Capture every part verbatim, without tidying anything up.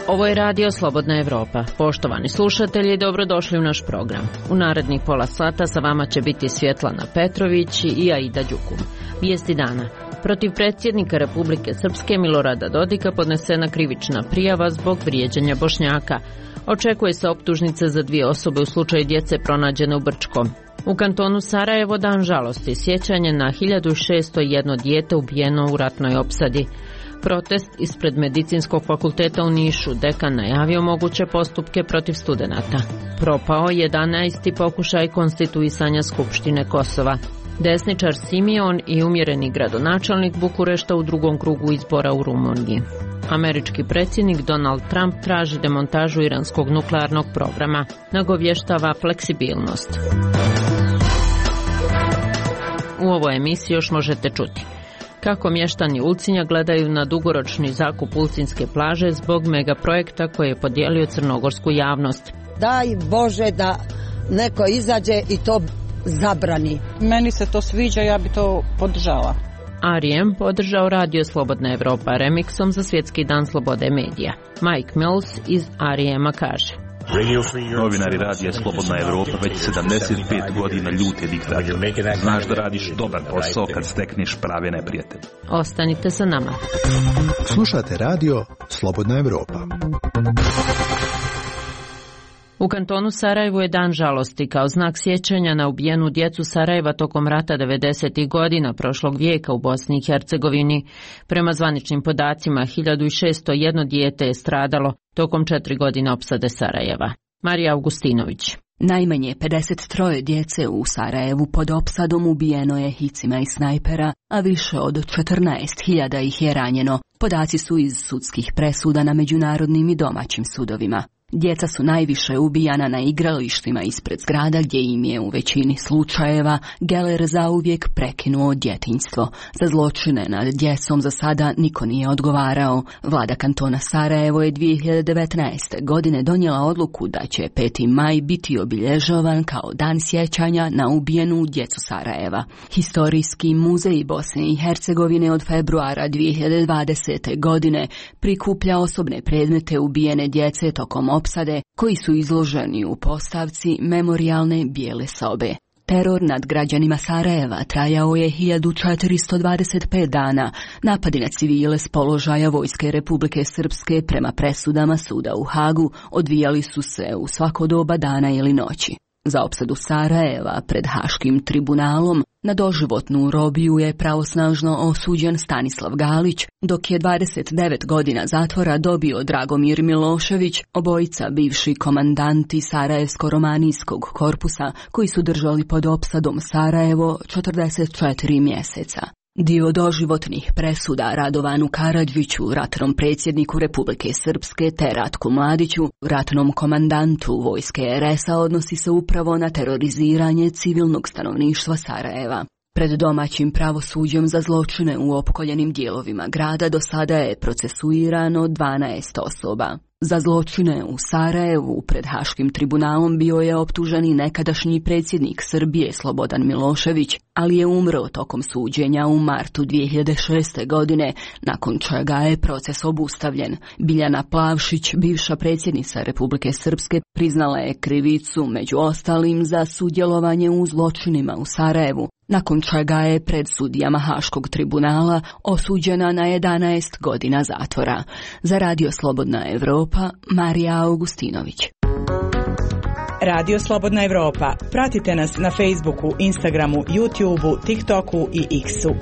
Ovo je radio Slobodna Evropa. Poštovani slušatelji, dobrodošli u naš program. U narednih pola sata sa vama će biti Svjetlana Petrović i Aida Đukum. Vijesti dana. Protiv predsjednika Republike Srpske Milorada Dodika podnesena krivična prijava zbog vrijeđanja Bošnjaka. Očekuje se optužnica za dvije osobe u slučaju djece pronađene u Brčkom. U kantonu Sarajevo dan žalosti, sjećanje na hiljadu šesto jedno dijete ubijeno u ratnoj opsadi. Protest ispred Medicinskog fakulteta u Nišu, dekan najavio moguće postupke protiv studenata. Propao jedanaesti pokušaj konstituisanja Skupštine Kosova. Desničar Simion i umjereni gradonačelnik Bukurešta u drugom krugu izbora u Rumuniji. Američki predsjednik Donald Trump traži demontažu iranskog nuklearnog programa, nagovještava fleksibilnost. U ovoj emisiji još možete čuti kako mještani Ulcinja gledaju na dugoročni zakup Ulcinjske plaže zbog megaprojekta koji je podijelio crnogorsku javnost. Daj Bože da neko izađe i to zabrani. Meni se to sviđa, ja bi to podržala. R E M podržao radio Slobodna Evropa remiksom za Svjetski dan slobode medija. Mike Mills iz R E M-a kaže: Novinari radija Slobodna Evropa već sedamdeset pet godina ljute diktator. Znaš da radiš dobar posao kad stekneš prave neprijatelje. Ostanite sa nama. Slušate radio Slobodna Evropa. U kantonu Sarajevo je dan žalosti kao znak sjećanja na ubijenu djecu Sarajeva tokom rata devedesetih godina prošlog vijeka u Bosni i Hercegovini. Prema zvaničnim podacima, hiljadu šesto jedno dijete je stradalo tokom četiri godine opsade Sarajeva. Marija Augustinović. Najmanje pedeset tri djece u Sarajevu pod opsadom ubijeno je hicima i snajpera, a više od četrnaest hiljada ih je ranjeno. Podaci su iz sudskih presuda na međunarodnim i domaćim sudovima. Djeca su najviše ubijana na igralištima ispred zgrada gdje im je u većini slučajeva geler zauvijek prekinuo djetinjstvo. Za zločine nad djecom za sada niko nije odgovarao. Vlada kantona Sarajevo je dvije hiljade devetnaeste. godine donijela odluku da će peti maj biti obilježavan kao dan sjećanja na ubijenu djecu Sarajeva. Historijski muzej Bosne i Hercegovine od februara dvije hiljade dvadesete. godine prikuplja osobne predmete ubijene djece tokom opsade koji su izloženi u postavci memorijalne bijele sobe. Teror nad građanima Sarajeva trajao je hiljadu četiristo dvadeset pet dana. Napadi na civile s položaja Vojske Republike Srpske prema presudama suda u Hagu odvijali su se u svako doba dana ili noći. Za opsadu Sarajeva pred Haškim tribunalom na doživotnu robiju je pravosnažno osuđen Stanislav Galić, dok je dvadeset devet godina zatvora dobio Dragomir Milošević, obojica bivši komandanti Sarajevsko-romanijskog korpusa koji su držali pod opsadom Sarajevo četrdeset četiri mjeseca. Dio doživotnih presuda Radovanu Karadžiću, ratnom predsjedniku Republike Srpske, te Ratku Mladiću, ratnom komandantu vojske er es a, odnosi se upravo na teroriziranje civilnog stanovništva Sarajeva. Pred domaćim pravosuđem za zločine u opkoljenim dijelovima grada do sada je procesuirano dvanaest osoba. Za zločine u Sarajevu pred Haškim tribunalom bio je optužen i nekadašnji predsjednik Srbije Slobodan Milošević, ali je umro tokom suđenja u martu dvije hiljade šeste. godine, nakon čega je proces obustavljen. Biljana Plavšić, bivša predsjednica Republike Srpske, priznala je krivicu među ostalim za sudjelovanje u zločinima u Sarajevu, nakon čega je pred sudijama Haškog tribunala osuđena na jedanaest godina zatvora. Za radio Slobodna Evropa, Marija Augustinović. Radio Slobodna Evropa. Pratite nas na Facebooku, Instagramu, YouTubeu, TikToku i X-u.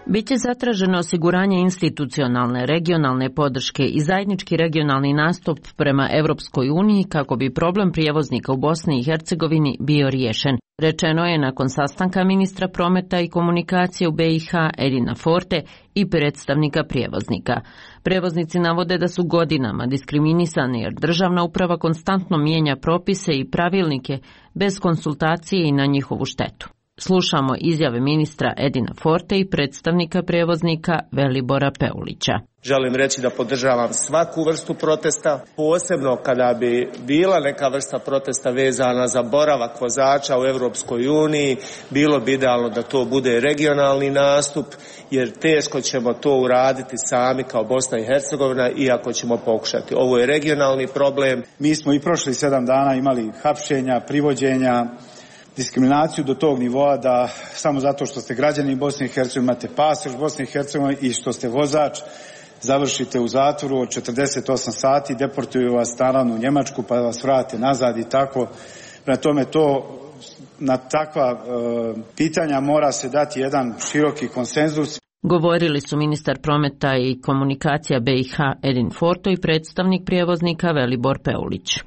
Biće zatraženo osiguranje institucionalne, regionalne podrške i zajednički regionalni nastup prema Europskoj uniji kako bi problem prijevoznika u Bosni i Hercegovini bio riješen. Rečeno je nakon sastanka ministra prometa i komunikacije u be i ha Edina Forte i predstavnika prijevoznika. Prevoznici navode da su godinama diskriminisani jer državna uprava konstantno mijenja propise i pravilnike bez konsultacije i na njihovu štetu. Slušamo izjave ministra Edina Forte i predstavnika prijevoznika Velibora Peulića. Želim reći da podržavam svaku vrstu protesta, posebno kada bi bila neka vrsta protesta vezana za boravak vozača u Europskoj uniji, bilo bi idealno da to bude regionalni nastup, jer teško ćemo to uraditi sami kao Bosna i Hercegovina, iako ćemo pokušati. Ovo je regionalni problem. Mi smo i prošli sedam dana imali hapšenja, privođenja, diskriminaciju do tog nivoa da samo zato što ste građani Bosne i Hercegovine, imate pasoš Bosne i Hercegovine i što ste vozač, završite u zatvoru od četrdeset osam sati, deportuju vas naravno u Njemačku pa vas vrate nazad i tako. Prema tome to, na takva e, pitanja mora se dati jedan široki konsenzus. Govorili su ministar prometa i komunikacija B i H Edin Forto i predstavnik prijevoznika Velibor Peulić.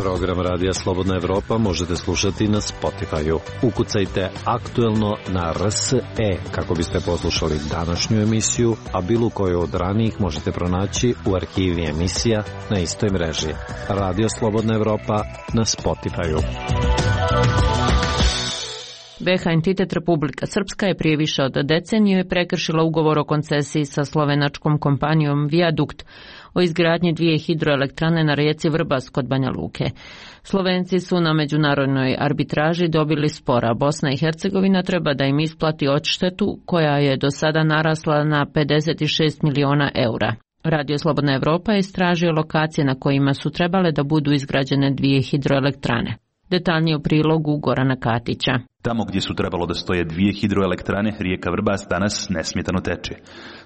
Program Radija Slobodna Evropa možete slušati na Spotify-u. Ukucajte aktuelno na R S E kako biste poslušali današnju emisiju, a bilo koju od ranijih možete pronaći u arhivi emisija na istoj mreži. Radio Slobodna Evropa na Spotify-u. B H entitet Republika Srpska je prije više od decenije prekršila ugovor o koncesiji sa slovenačkom kompanijom Viadukt o izgradnji dvije hidroelektrane na rijeci Vrbas kod Banja Luke. Slovenci su na međunarodnoj arbitraži dobili spor, a Bosna i Hercegovina treba da im isplati odštetu koja je do sada narasla na pedeset šest miliona eura. Radio Slobodna Evropa je istražio lokacije na kojima su trebale da budu izgrađene dvije hidroelektrane. Detaljnije u prilogu Gorana Katića. Tamo gdje su trebalo da stoje dvije hidroelektrane, rijeka Vrbas danas nesmetano teče.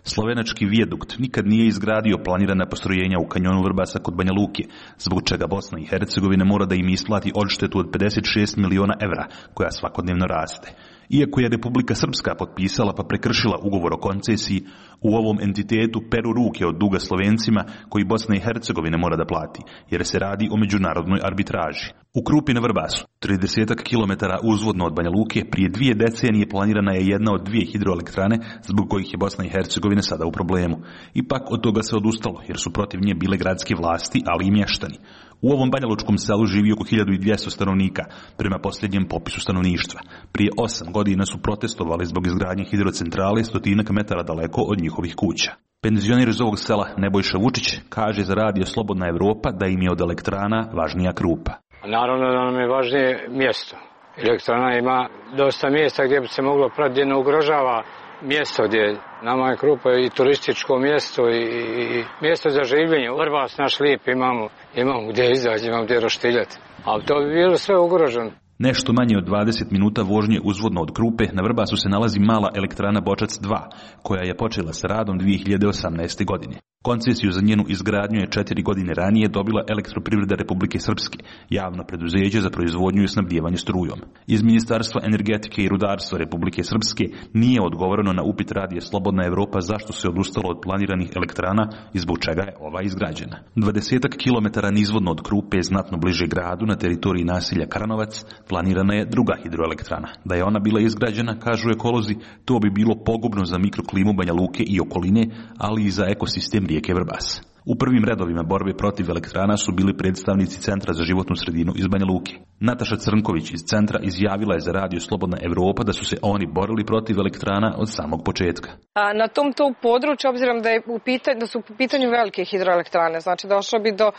Slovenački vijadukt nikad nije izgradio planirana postrojenja u kanjonu Vrbasa kod Banja Luke, zbog čega Bosna i Hercegovina mora da im isplati odštetu od pedeset šest miliona evra, koja svakodnevno raste. Iako je Republika Srpska potpisala pa prekršila ugovor o koncesiji, u ovom entitetu peru ruke od duga Slovencima koji Bosna i Hercegovina mora da plati, jer se radi o međunarodnoj arbitraži. U Krupi na Vrbasu, trideset kilometara uzvodno od Banja Luke, prije dvije decenije planirana je jedna od dvije hidroelektrane zbog kojih je Bosna i Hercegovina sada u problemu. Ipak od toga se odustalo, jer su protiv nje bile gradske vlasti, ali i mještani. U ovom banjalučkom selu živi oko hiljadu dvjesto stanovnika, prema posljednjem popisu stanovništva. Prije osam godina su protestovali zbog izgradnje hidrocentrale stotinak metara daleko od njihovih kuća. Penzioner iz ovog sela Nebojša Vučić kaže za Radio Slobodna Evropa da im je od elektrana važnija Krupa. Naravno da nam je važnije mjesto. Elektrana ima dosta mjesta gdje bi se moglo prati, gdje ne ugrožava mjesto gdje nama je Krupa i turističko mjesto i, i mjesto za življenje. Vrbas naš lijep imamo, imamo gdje izaći, imamo gdje roštiljati. Ali to bi bilo sve ugroženo. Nešto manje od dvadeset minuta vožnje uzvodno od Krupe, na Vrbasu se nalazi mala elektrana Bočac dva, koja je počela sa radom dvije hiljade osamnaeste. godine. Koncesiju za njenu izgradnju je četiri godine ranije dobila Elektroprivreda Republike Srpske, javno preduzeće za proizvodnju i snabdijevanje strujom. Iz Ministarstva energetike i rudarstva Republike Srpske nije odgovoreno na upit Radija Slobodna Evropa zašto se odustalo od planiranih elektrana i zbog čega je ova izgrađena. dvadeset kilometara nizvodno od Krupe, znatno bliže gradu, na teritoriji naselja Karanovac, planirana je druga hidroelektrana. Da je ona bila izgrađena, kažu ekolozi, to bi bilo pogubno za mikroklimu Banja Luke i okoline, ali i za ekosistem rijeke Vrbas. U prvim redovima borbe protiv elektrana su bili predstavnici Centra za životnu sredinu iz Banja Luke. Nataša Crnković iz centra izjavila je za Radio Slobodna Evropa da su se oni borili protiv elektrana od samog početka. A na tom to području, obzirom da, je u pitanju, da su u pitanju velike hidroelektrane, znači došlo bi do a,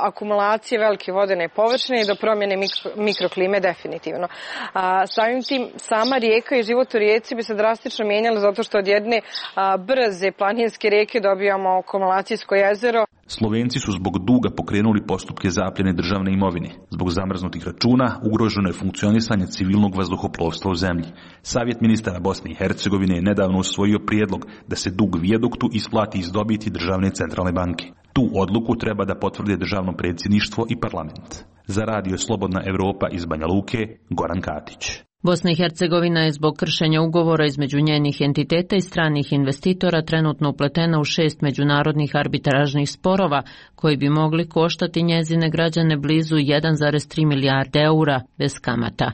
akumulacije velike vodene površine i do promjene mikro, mikroklime definitivno. A, samim tim sama rijeka i život u rijeci bi se drastično mijenjala zato što od jedne a, brze planinske rijeke dobijamo akumulacijsko jezero. Slovenci su zbog duga pokrenuli postupke zapljene državne imovine. Zbog zamrznutih računa ugroženo je funkcionisanje civilnog vazduhoplovstva u zemlji. Savjet ministara Bosne i Hercegovine je nedavno usvojio prijedlog da se dug vijaduktu isplati iz dobiti državne centralne banke. Tu odluku treba da potvrde državno predsjedništvo i parlament. Za Radio Slobodna Evropa iz Banja Luke, Goran Katić. Bosna i Hercegovina je zbog kršenja ugovora između njenih entiteta i stranih investitora trenutno upletena u šest međunarodnih arbitražnih sporova koji bi mogli koštati njezine građane blizu jedan zarez tri milijarde eura bez kamata.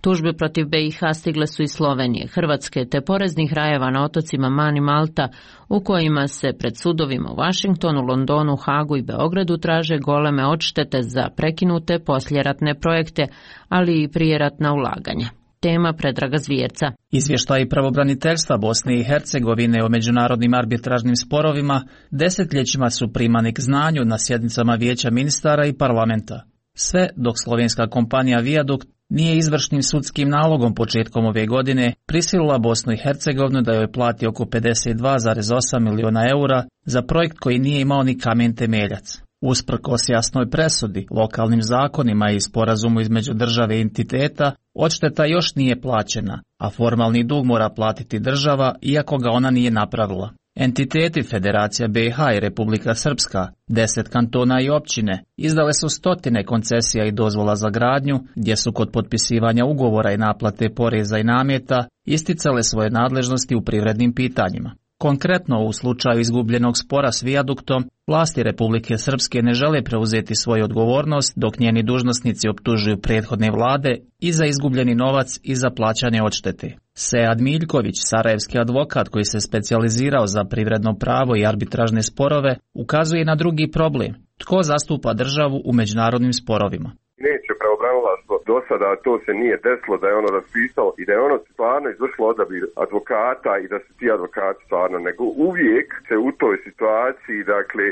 Tužbe protiv B i H stigle su iz Slovenije, Hrvatske te poreznih rajeva na otocima Man i Malta, u kojima se pred sudovima u Vašingtonu, Londonu, Hagu i Beogradu traže goleme odštete za prekinute poslijeratne projekte, ali i prijeratna ulaganja. Tema Predraga Zvjerca. Izvještaji pravobraniteljstva Bosne i Hercegovine o međunarodnim arbitražnim sporovima desetljećima su primani k znanju na sjednicama Vijeća ministara i parlamenta. Sve dok slovenska kompanija Viadukt nije izvršnim sudskim nalogom početkom ove godine prisilila Bosnu i Hercegovinu da joj plati oko pedeset dva zarez osam miliona eura za projekt koji nije imao ni kamen temeljac. Usprkos jasnoj presudi, lokalnim zakonima i sporazumu između države i entiteta, odšteta još nije plaćena, a formalni dug mora platiti država iako ga ona nije napravila. Entiteti Federacija B i H i Republika Srpska, deset kantona i općine, izdale su stotine koncesija i dozvola za gradnju, gdje su kod potpisivanja ugovora i naplate poreza i nameta isticale svoje nadležnosti u privrednim pitanjima. Konkretno, u slučaju izgubljenog spora s Viaduktom, vlasti Republike Srpske ne žele preuzeti svoju odgovornost dok njeni dužnosnici optužuju prethodne vlade i za izgubljeni novac i za plaćanje odštete. Sead Miljković, sarajevski advokat koji se specijalizirao za privredno pravo i arbitražne sporove, ukazuje na drugi problem. Tko zastupa državu u međunarodnim sporovima? Neće pravobranilaštvo do sada, to se nije desilo da je ono raspisalo i da je ono stvarno izvršilo odabir advokata i da su ti advokati stvarno, nego uvijek se u toj situaciji, dakle,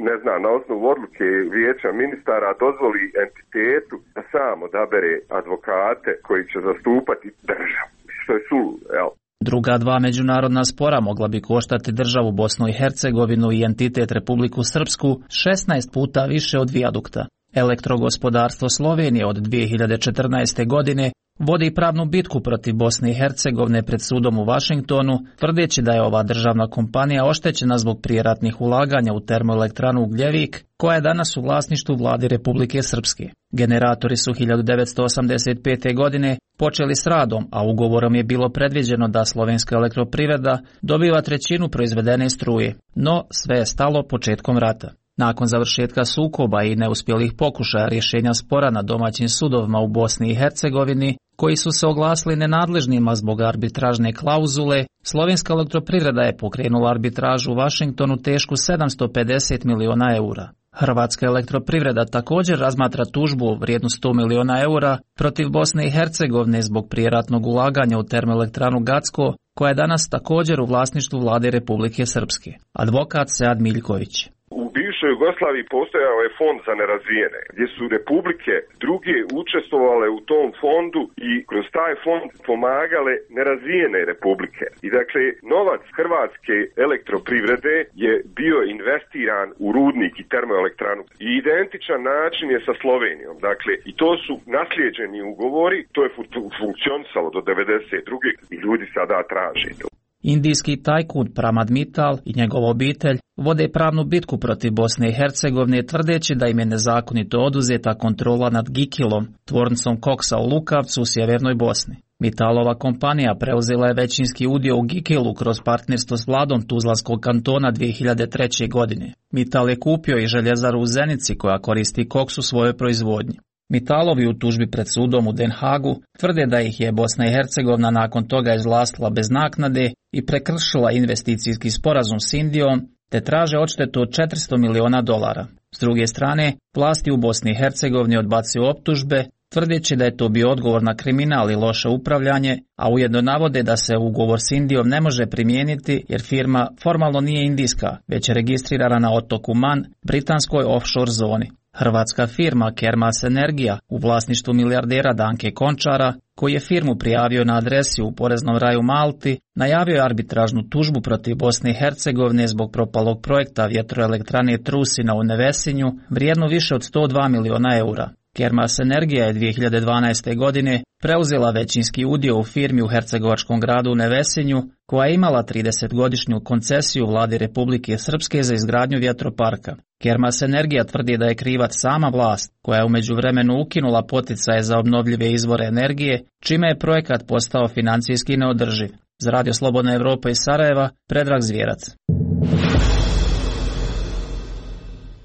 ne znam, na osnovu odluke Vijeća ministara dozvoli entitetu da sam odabere advokate koji će zastupati državu, što je suludo, jel? Druga dva međunarodna spora mogla bi koštati državu Bosnu i Hercegovinu i entitet Republiku Srpsku šesnaest puta više od Viadukta. Elektrogospodarstvo Slovenije od dvije hiljade četrnaeste. godine vodi pravnu bitku protiv Bosne i Hercegovine pred sudom u Vašingtonu, tvrdeći da je ova državna kompanija oštećena zbog prijeratnih ulaganja u termoelektranu Ugljevik, koja je danas u vlasništvu vlade Republike Srpske. Generatori su hiljadu devetsto osamdeset pete. godine počeli s radom, a ugovorom je bilo predviđeno da slovenska elektroprivreda dobiva trećinu proizvedene struje, no sve je stalo početkom rata. Nakon završetka sukoba i neuspjelih pokušaja rješenja spora na domaćim sudovima u Bosni i Hercegovini, koji su se oglasili nenadležnima zbog arbitražne klauzule, slovenska elektroprivreda je pokrenula arbitražu u Vašingtonu tešku sedamsto pedeset miliona eura. Hrvatska elektroprivreda također razmatra tužbu vrijednu sto miliona eura protiv Bosne i Hercegovine zbog prijeratnog ulaganja u termoelektranu Gacko, koja je danas također u vlasništvu vlade Republike Srpske. Advokat Sead Miljković. U bivšoj Jugoslaviji postojao je fond za nerazvijene, gdje su republike druge učestvovale u tom fondu i kroz taj fond pomagale nerazvijene republike. I dakle, novac Hrvatske elektroprivrede je bio investiran u rudnik i termoelektranu. I identičan način je sa Slovenijom. Dakle, i to su naslijeđeni ugovori, to je funkcionisalo do devedeset druge. i ljudi sada traže to. Indijski tajkun Pramad Mittal i njegova obitelj vode pravnu bitku protiv Bosne i Hercegovine tvrdeći da im je nezakonito oduzeta kontrola nad Gikilom, tvornicom koksa u Lukavcu u sjevernoj Bosni. Mittalova kompanija preuzela je većinski udio u Gikilu kroz partnerstvo s vladom Tuzlanskog kantona dvije hiljade treće. godine. Mittal je kupio i željezaru u Zenici koja koristi koks u svojoj proizvodnji. Mittalovi u tužbi pred sudom u Den Hagu tvrde da ih je Bosna i Hercegovina nakon toga izvlastila bez naknade i prekršila investicijski sporazum s Indijom, te traže odštetu od četiristo miliona dolara. S druge strane, vlasti u Bosni i Hercegovini odbacuju optužbe, tvrdeći da je to bio odgovor na kriminal i loše upravljanje, a ujedno navode da se ugovor s Indijom ne može primijeniti jer firma formalno nije indijska, već je registrirana na otoku Man, britanskoj offshore zoni. Hrvatska firma Kermas Energija u vlasništvu milijardera Danke Končara, koji je firmu prijavio na adresi u poreznom raju Malti, najavio je arbitražnu tužbu protiv Bosne i Hercegovine zbog propalog projekta vjetroelektrane Trusina u Nevesinju, vrijednu više od sto dva miliona eura. Kermas Energija je dvije hiljade dvanaeste. godine preuzela većinski udio u firmi u hercegovačkom gradu Nevesinju, koja je imala tridesetgodišnju koncesiju vladi Republike Srpske za izgradnju vjetroparka. Kermas Energija tvrdi da je krivac sama vlast, koja je u međuvremenu ukinula poticaje za obnovljive izvore energije, čime je projekat postao financijski neodrživ. Za Radio Slobodna Evropa iz Sarajeva, Predrag Zvjerac.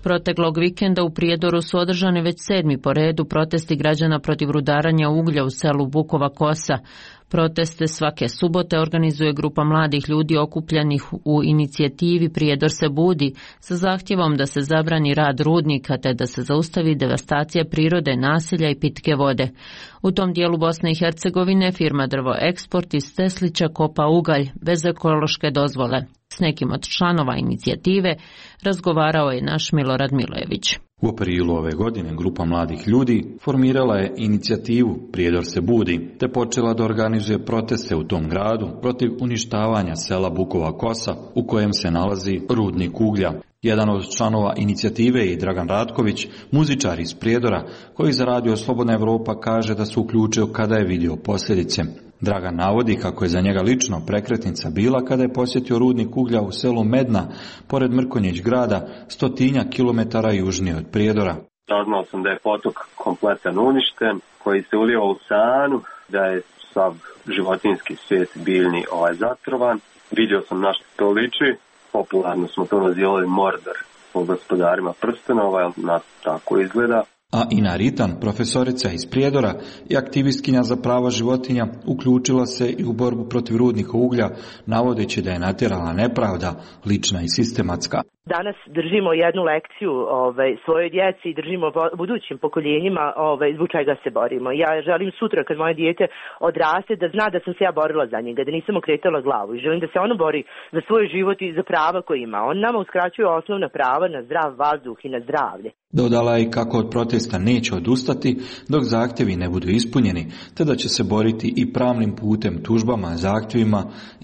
Proteklog vikenda u Prijedoru su održani već sedmi po redu protesti građana protiv rudaranja uglja u selu Bukova Kosa. Proteste svake subote organizuje grupa mladih ljudi okupljenih u inicijativi Prijedor se budi sa zahtjevom da se zabrani rad rudnika te da se zaustavi devastacija prirode, naselja i pitke vode. U tom dijelu Bosne i Hercegovine firma Drvo Eksport iz Teslića kopa ugalj bez ekološke dozvole. S nekim od članova inicijative razgovarao je naš Milorad Milojević. U aprilu ove godine grupa mladih ljudi formirala je inicijativu Prijedor se budi, te počela da organizuje proteste u tom gradu protiv uništavanja sela Bukova Kosa u kojem se nalazi rudnik uglja. Jedan od članova inicijative je Dragan Ratković, muzičar iz Prijedora, koji za Radio Slobodna Evropa kaže da se uključio kada je vidio posljedice. Dragan navodi kako je za njega lično prekretnica bila kada je posjetio rudnik uglja u selu Medna, pored Mrkonjić grada, stotinja kilometara južnije od Prijedora. Saznao sam da je potok kompletan uništen, koji se ulijeva u Sanu, da je sav životinjski svijet biljni ovaj zatrovan. Vidio sam na što to liči, popularno smo to nazivali Mordor po Gospodarima prstenova, jer nas tako izgleda. A Ina Ritan, profesorica iz Prijedora i aktivistkinja za prava životinja, uključila se i u borbu protiv rudnika uglja, navodeći da je natjerala nepravda, lična i sistematska. Danas držimo jednu lekciju ovaj, svojoj djeci i držimo budućim pokoljenjima ovaj, zbog čega se borimo. Ja želim sutra kad moje dijete odraste da zna da sam se ja borila za njega, da nisam okretala glavu i želim da se ono bori za svoj život i za prava koje ima. On nama uskraćuje osnovna prava na zdrav vazduh i na zdravlje. Dodala je kako od protesta neće odustati dok zahtjevi ne budu ispunjeni, te da će se boriti i pravnim putem tužbama, zahtjevima,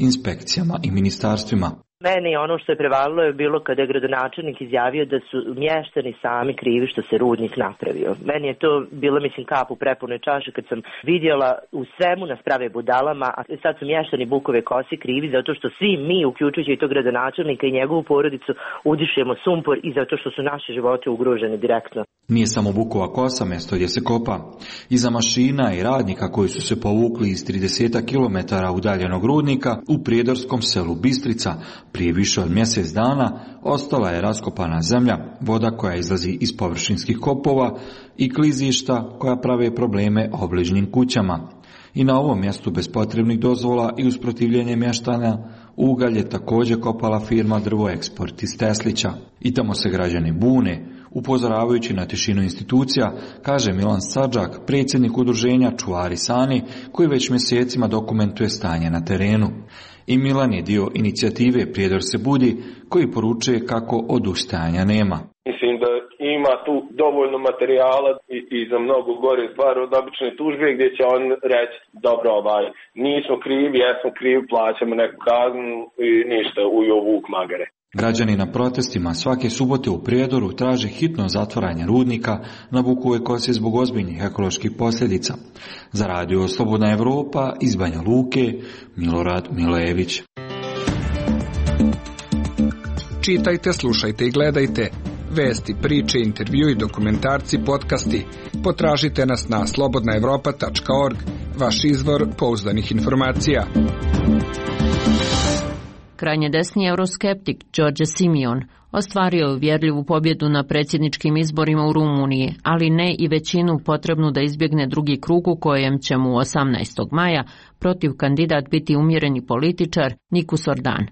inspekcijama i ministarstvima. Meni ono što je prevalilo je bilo kada je gradonačelnik izjavio da su mještani sami krivi što se rudnik napravio. Meni je to bilo, mislim, kap u prepunoj čaši kad sam vidjela u svemu nas prave budalama, a sad su mještani Bukove Kose krivi zato što svi mi, uključujući i tog gradonačelnika i njegovu porodicu, udišemo sumpor i zato što su naše živote ugroženi direktno. Nije samo Bukova Kosa mjesto gdje se kopa. Iza mašina i radnika koji su se povukli iz trideset kilometara udaljenog rudnika u prijedorskom selu Bistrica, prije više od mjesec dana ostala je raskopana zemlja, voda koja izlazi iz površinskih kopova i klizišta koja prave probleme obližnjim kućama. I na ovom mjestu bez potrebnih dozvola i usprotivljenje mještana ugalj je također kopala firma Drvo Eksport iz Teslića. I tamo se građani bune, upozoravajući na tišinu institucija, kaže Milan Sadžak, predsjednik udruženja Čuvari Sani, koji već mjesecima dokumentuje stanje na terenu. I Milan je dio inicijative Prijedor se budi, koji poručuje kako odustajanja nema. Mislim da ima tu dovoljno materijala i, i za mnogo gore stvari od obične tužbe gdje će on reći dobro, ovaj, nismo krivi, jesmo krivi, plaćamo neku kaznu i ništa, ujo vuk magare. Građani na protestima svake subote u Prijedoru traže hitno zatvaranje rudnika na Bukovoj Kosi zbog ozbiljnih ekoloških posljedica. Za Radio Slobodna Evropa iz Banja Luke, Milorad Milojević. Čitajte, slušajte i gledajte. Vesti, priče, intervjui, dokumentarci, podcasti. Potražite nas na slobodna evropa tačka org, vaš izvor pouzdanih informacija. Krajnje desni euroskeptik Đorđe Simion ostvario je uvjerljivu pobjedu na predsjedničkim izborima u Rumuniji, ali ne i većinu potrebnu da izbjegne drugi krug u kojem će mu osamnaestog maja protiv kandidat biti umjereni političar Nikus Ordan.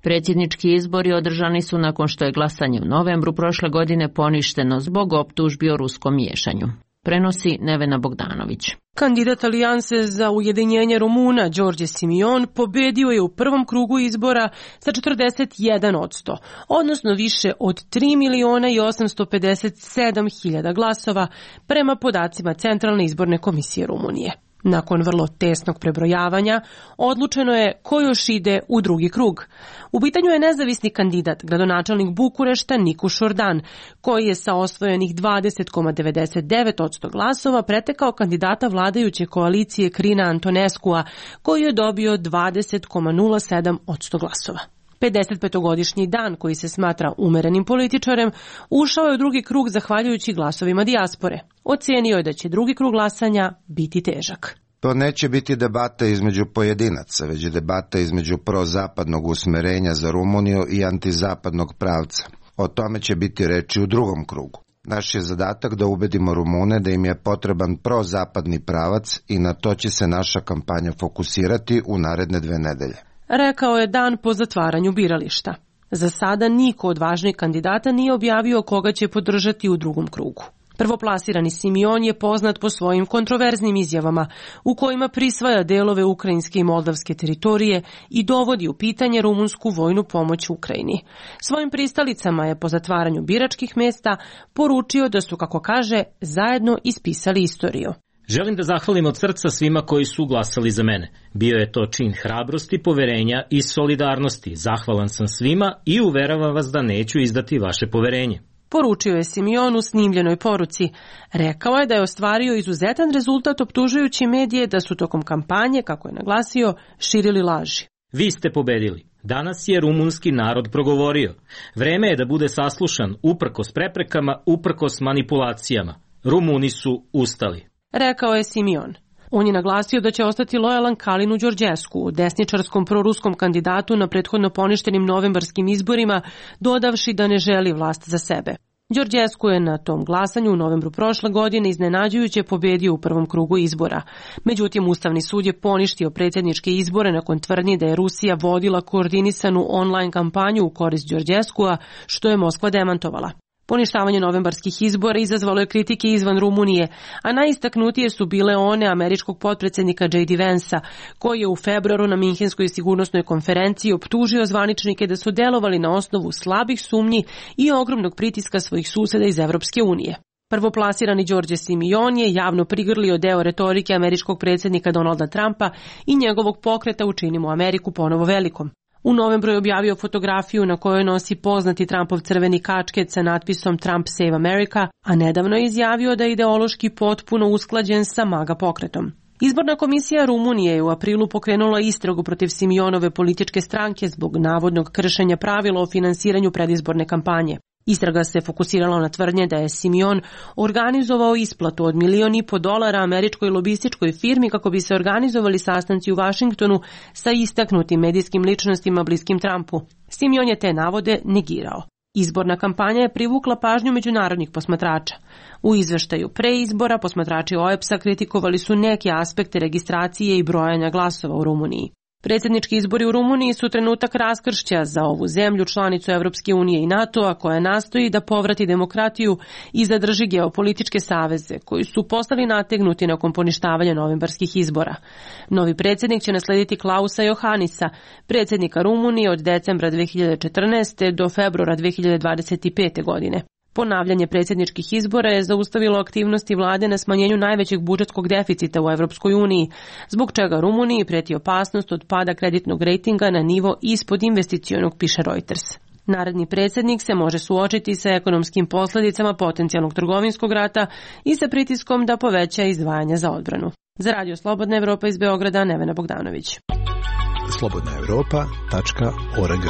Predsjednički izbori održani su nakon što je glasanje u novembru prošle godine poništeno zbog optužbi o ruskom miješanju. Prenosi Nevena Bogdanović. Kandidat Alijanse za ujedinjenje Rumuna Đorđe Simion pobedio je u prvom krugu izbora sa četrdeset jedan posto, odnosno više od tri miliona i osamsto pedeset sedam hiljada glasova prema podacima Centralne izborne komisije Rumunije. Nakon vrlo tesnog prebrojavanja, odlučeno je ko još ide u drugi krug. U pitanju je nezavisni kandidat, gradonačelnik Bukurešta Nikuš Ordan, koji je sa osvojenih dvadeset zarez devedeset devet posto glasova pretekao kandidata vladajuće koalicije Krina Antoneskua, koji je dobio dvadeset zarez nula sedam posto glasova. pedesetpetogodišnji Dan, koji se smatra umerenim političarem, ušao je u drugi krug zahvaljujući glasovima dijaspore. Ocenio je da će drugi krug glasanja biti težak. To neće biti debata između pojedinaca, već debata između prozapadnog usmerenja za Rumuniju i antizapadnog pravca. O tome će biti reči u drugom krugu. Naš je zadatak da ubedimo Rumune da im je potreban prozapadni pravac i na to će se naša kampanja fokusirati u naredne dve nedelje. Rekao je Dan po zatvaranju birališta. Za sada niko od važnih kandidata nije objavio koga će podržati u drugom krugu. Prvoplasirani Simion je poznat po svojim kontroverznim izjavama u kojima prisvaja delove ukrajinske i moldavske teritorije i dovodi u pitanje rumunsku vojnu pomoć Ukrajini. Svojim pristalicama je po zatvaranju biračkih mesta poručio da su, kako kaže, zajedno ispisali istoriju. Želim da zahvalim od srca svima koji su glasali za mene. Bio je to čin hrabrosti, poverenja i solidarnosti. Zahvalan sam svima i uveravam vas da neću izdati vaše poverenje. Poručio je Simion u snimljenoj poruci. Rekao je da je ostvario izuzetan rezultat optužujući medije da su tokom kampanje, kako je naglasio, širili laži. Vi ste pobedili. Danas je rumunski narod progovorio. Vreme je da bude saslušan uprkos preprekama, uprkos manipulacijama. Rumuni su ustali. Rekao je Simion. On je naglasio da će ostati lojalan Kalinu Đorđesku, desničarskom proruskom kandidatu na prethodno poništenim novembarskim izborima, dodavši da ne želi vlast za sebe. Đorđesku je na tom glasanju u novembru prošle godine iznenađujuće pobedio u prvom krugu izbora. Međutim, Ustavni sud je poništio predsjedničke izbore nakon tvrdnji da je Rusija vodila koordinisanu online kampanju u korist Đorđeskua, što je Moskva demantovala. Poništavanje novembarskih izbora izazvalo je kritike izvan Rumunije, a najistaknutije su bile one američkog potpredsjednika J D Vansa, koji je u februaru na Minhenskoj sigurnosnoj konferenciji optužio zvaničnike da su delovali na osnovu slabih sumnji i ogromnog pritiska svojih suseda iz Evropske unije. Prvoplasirani Đorđe Simion je javno prigrlio deo retorike američkog predsjednika Donalda Trumpa i njegovog pokreta Učinimo Ameriku ponovo velikom. U novembru je objavio fotografiju na kojoj nosi poznati Trumpov crveni kačket sa natpisom Trump Save America, a nedavno je izjavio da je ideološki potpuno usklađen sa MAGA pokretom. Izborna komisija Rumunije je u aprilu pokrenula istragu protiv Simionove političke stranke zbog navodnog kršenja pravila o finansiranju predizborne kampanje. Istraga se fokusirala na tvrdnje da je Simion organizovao isplatu od milion i po dolara američkoj lobističkoj firmi kako bi se organizovali sastanci u Vašingtonu sa istaknutim medijskim ličnostima bliskim Trumpu. Simion je te navode negirao. Izborna kampanja je privukla pažnju međunarodnih posmatrača. U izveštaju pre izbora posmatrači O E P S-a kritikovali su neke aspekte registracije i brojanja glasova u Rumuniji. Predsjednički izbori u Rumuniji su trenutak raskršća za ovu zemlju, članicu Evropske unije i NATO-a, koja nastoji da povrati demokratiju i zadrži geopolitičke saveze, koji su postali nategnuti nakon poništavanja novembarskih izbora. Novi predsjednik će naslediti Klausa Johanisa, predsjednika Rumunije od decembra dve hiljade četrnaeste. do februara dve hiljade dvadeset pete. godine. Ponavljanje predsjedničkih izbora je zaustavilo aktivnosti vlade na smanjenju najvećeg budžetskog deficita u Evropskoj uniji, zbog čega Rumuniji preti opasnost od pada kreditnog rejtinga na nivo ispod investicionog, piše Reuters. Naredni predsjednik se može suočiti sa ekonomskim posljedicama potencijalnog trgovinskog rata i sa pritiskom da poveća izdvajanja za odbranu. Za Radio Slobodna Evropa iz Beograda, Nevena Bogdanović. slobodna evropa tačka org.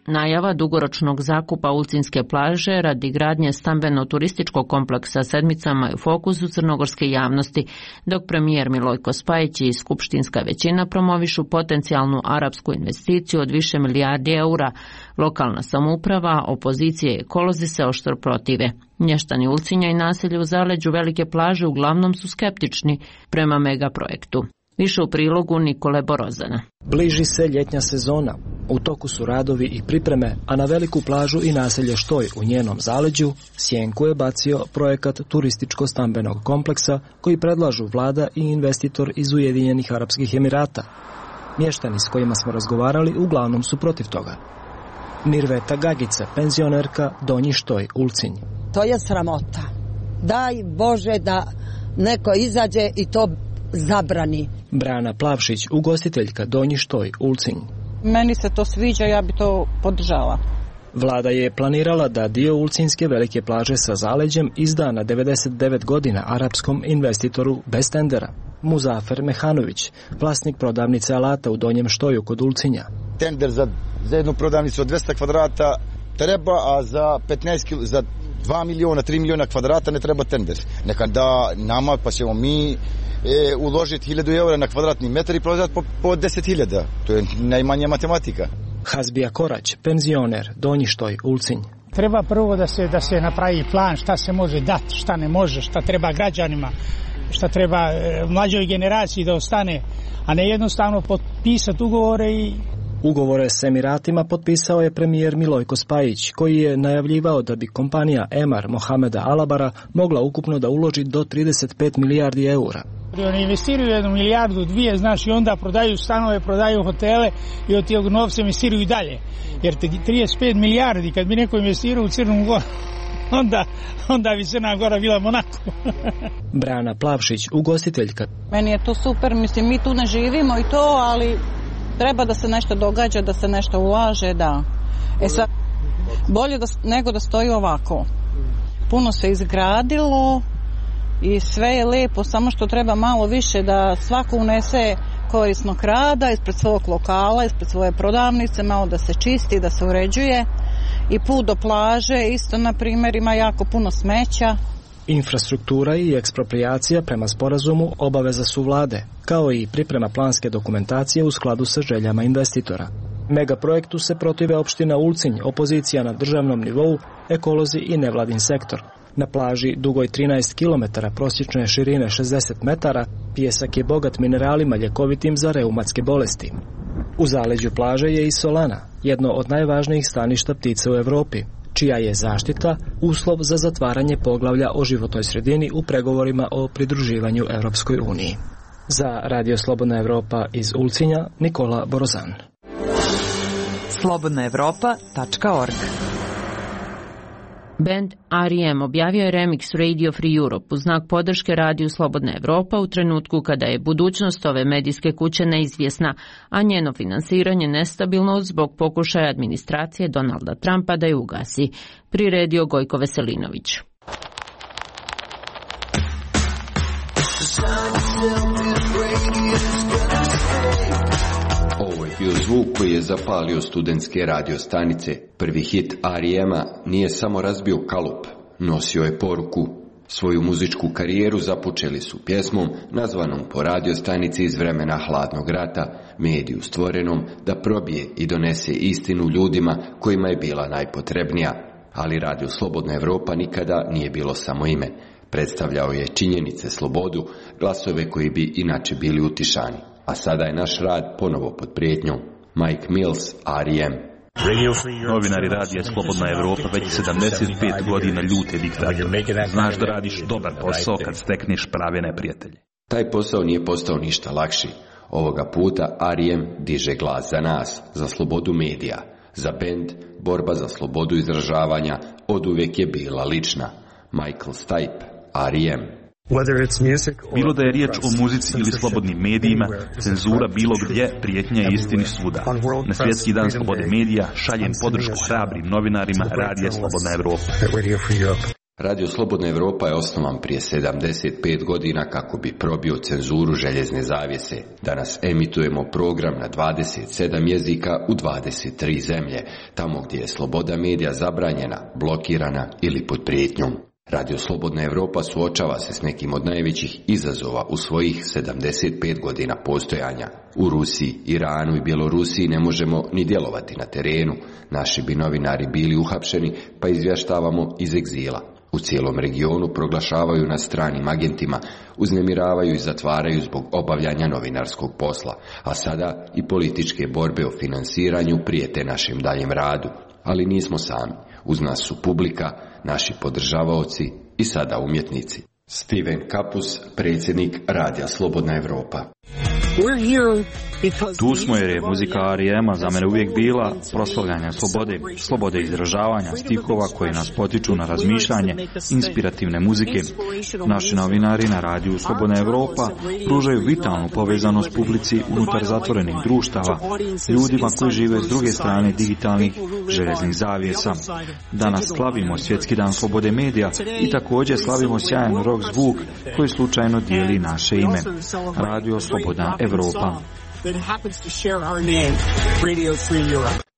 Najava dugoročnog zakupa Ulcinske plaže radi gradnje stambeno-turističkog kompleksa Sedmicama je u fokusu crnogorske javnosti, dok premijer Milojko Spajić i skupštinska većina promovišu potencijalnu arapsku investiciju od više milijardi eura. Lokalna samouprava, opozicije i ekolozi se oštro protive. Mještani Ulcinja i naselje u zaleđu Velike plaže uglavnom su skeptični prema megaprojektu. Više u prilogu Nikole Borozana. Bliži se ljetnja sezona. U toku su radovi i pripreme, a na Veliku plažu i naselje Štoj u njenom zaleđu sjenku je bacio projekat turističko-stambenog kompleksa koji predlažu vlada i investitor iz Ujedinjenih Arapskih Emirata. Mještani s kojima smo razgovarali uglavnom su protiv toga. Mirveta Gagica, penzionerka, Donji Štoj, Ulcinj. To je sramota. Daj Bože da neko izađe i to zabrani. Brana Plavšić, ugostiteljka Donji Štoj, Ulcinj. Meni se to sviđa, ja bi to podržala. Vlada je planirala da dio Ulcinjske velike plaže sa zaleđem izda na devedeset devet godina arapskom investitoru bez tendera. Muzafer Mehanović, vlasnik prodavnice alata u Donjem Štoju kod Ulcinja. Tender za, za jednu prodavnicu od dvesta kvadrata treba, a za petnaest kil, za dva miliona, tri miliona kvadrata ne treba tender. Neka da nama, pa ćemo mi e, uložiti hiljadu eura na kvadratni metar i prodati po, po deset hiljada. To je najmanja matematika. Hazbija Korać, penzioner, Donji Štoj, Ulcinj. Treba prvo da se, da se napravi plan šta se može dati, šta ne može, šta treba građanima, šta treba e, mlađoj generaciji da ostane, a ne jednostavno potpisati ugovore i... Ugovore s Emiratima potpisao je premijer Milojko Spajić, koji je najavljivao da bi kompanija Emar Mohameda Alabara mogla ukupno da uloži do trideset pet milijardi eura. Oni investiraju jednu milijardu, dvije, znaš, i onda prodaju stanove, prodaju hotele i od tijeg novca investiraju i dalje. Jer trideset pet milijardi, kad bi neko investirao u Crnu Goru, onda, onda bi Crna Gora bila Monako. Brana Plavšić, ugostiteljka. Meni je to super, mislim, mi tu ne živimo i to, ali treba da se nešto događa, da se nešto ulaže, da. E sad, bolje da, nego da stoji ovako. Puno se izgradilo i sve je lepo, samo što treba malo više da svako unese korisnog rada ispred svog lokala, ispred svoje prodavnice, malo da se čisti, da se uređuje. I put do plaže, isto na primjer, ima jako puno smeća. Infrastruktura i eksproprijacija prema sporazumu obaveza su vlade, kao i priprema planske dokumentacije u skladu sa željama investitora. Megaprojektu se protive opština Ulcinj, opozicija na državnom nivou, ekolozi i nevladin sektor. Na plaži dugoj trinaest kilometara, prosječne širine šezdeset metara, pijesak je bogat mineralima ljekovitim za reumatske bolesti. U zaleđu plaže je i Solana, jedno od najvažnijih staništa ptica u Evropi, čija je zaštita uslov za zatvaranje poglavlja o životnoj sredini u pregovorima o pridruživanju Europskoj uniji. Za Radio Slobodna Evropa iz Ulcinja, Nikola Borozan. slobodna evropa tačka org. Band R E M objavio je remix Radio Free Europe u znak podrške Radiju Slobodna Evropa u trenutku kada je budućnost ove medijske kuće neizvjesna, a njeno finansiranje nestabilno zbog pokušaja administracije Donalda Trumpa da je ugasi, priredio Gojko Veselinović. Ovo je bio zvuk koji je zapalio studentske radio stanice. Prvi hit R E M-a nije samo razbio kalup, nosio je poruku. Svoju muzičku karijeru započeli su pjesmom nazvanom po radio stanici iz vremena hladnog rata, mediju stvorenom da probije i donese istinu ljudima kojima je bila najpotrebnija. Ali Radio Slobodna Evropa nikada nije bilo samo ime. Predstavljao je činjenice, slobodu, glasove koji bi inače bili utišani. A sada je naš rad ponovo pod prijetnjom. Mike Mills, R E M. Novinari Radija Slobodna Evropa već sedamdeset pet godina ljute diktator. Znaš da radiš dobar posao kad stekneš prave neprijatelje. Taj posao nije postao ništa lakši. Ovoga puta R E M diže glas za nas, za slobodu medija. Za bend, borba za slobodu izražavanja oduvijek je bila lična. Michael Stipe, R E M. Bilo da je riječ o muzici ili slobodnim medijima, cenzura bilo gdje, prijetnja je istini svuda. Na Svjetski dan slobode medija šaljem podršku hrabrim novinarima Radija Slobodna Evropa. Radio Slobodna Evropa je osnovan prije sedamdeset pet godina kako bi probio cenzuru željezne zavjese. Danas emitujemo program na dvadeset sedam jezika u dvadeset tri zemlje, tamo gdje je sloboda medija zabranjena, blokirana ili pod prijetnjom. Radio Slobodna Evropa suočava se s nekim od najvećih izazova u svojih sedamdeset pet godina postojanja. U Rusiji, Iranu i Bjelorusiji ne možemo ni djelovati na terenu. Naši bi novinari bili uhapšeni, pa izvještavamo iz egzila. U cijelom regionu proglašavaju nas stranim agentima, uznemiravaju i zatvaraju zbog obavljanja novinarskog posla, a sada i političke borbe o finansiranju prijete našem daljem radu. Ali nismo sami. Uz nas su publika, naši podržavaoci i sada umjetnici. Steven Kapus, predsjednik Radija Slobodna Evropa. Tu smo jer je muzika R E M-a za mene uvijek bila proslavljanje slobode, slobode izražavanja, stihova koji nas potiču na razmišljanje, inspirativne muzike. Naši novinari na radiju Slobodna Evropa pružaju vitalnu povezanost publici unutar zatvorenih društava, ljudima koji žive s druge strane digitalnih željeznih zavjesa. Danas slavimo Svjetski dan slobode medija i također slavimo sjajan rock zvuk koji slučajno dijeli naše ime. Radio Slobodna Evropa.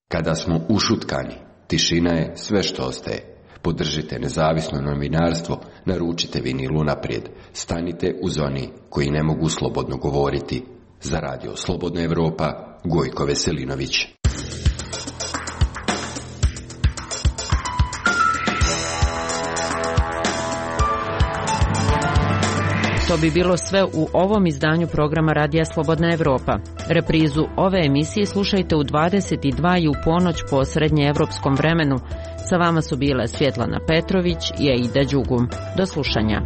Kada smo ušutkani, tišina je sve što ostaje. Podržite nezavisno novinarstvo, naručite vinil unaprijed, stanite uz oni koji ne mogu slobodno govoriti. Za Radio Slobodna Evropa, Gojko Veselinović. To bi bilo sve u ovom izdanju programa Radija Slobodna Evropa. Reprizu ove emisije slušajte u dvadeset dva i u ponoć po srednjeevropskom vremenu. Sa vama su bile Svjetlana Petrović i Aida Đugum. Do slušanja.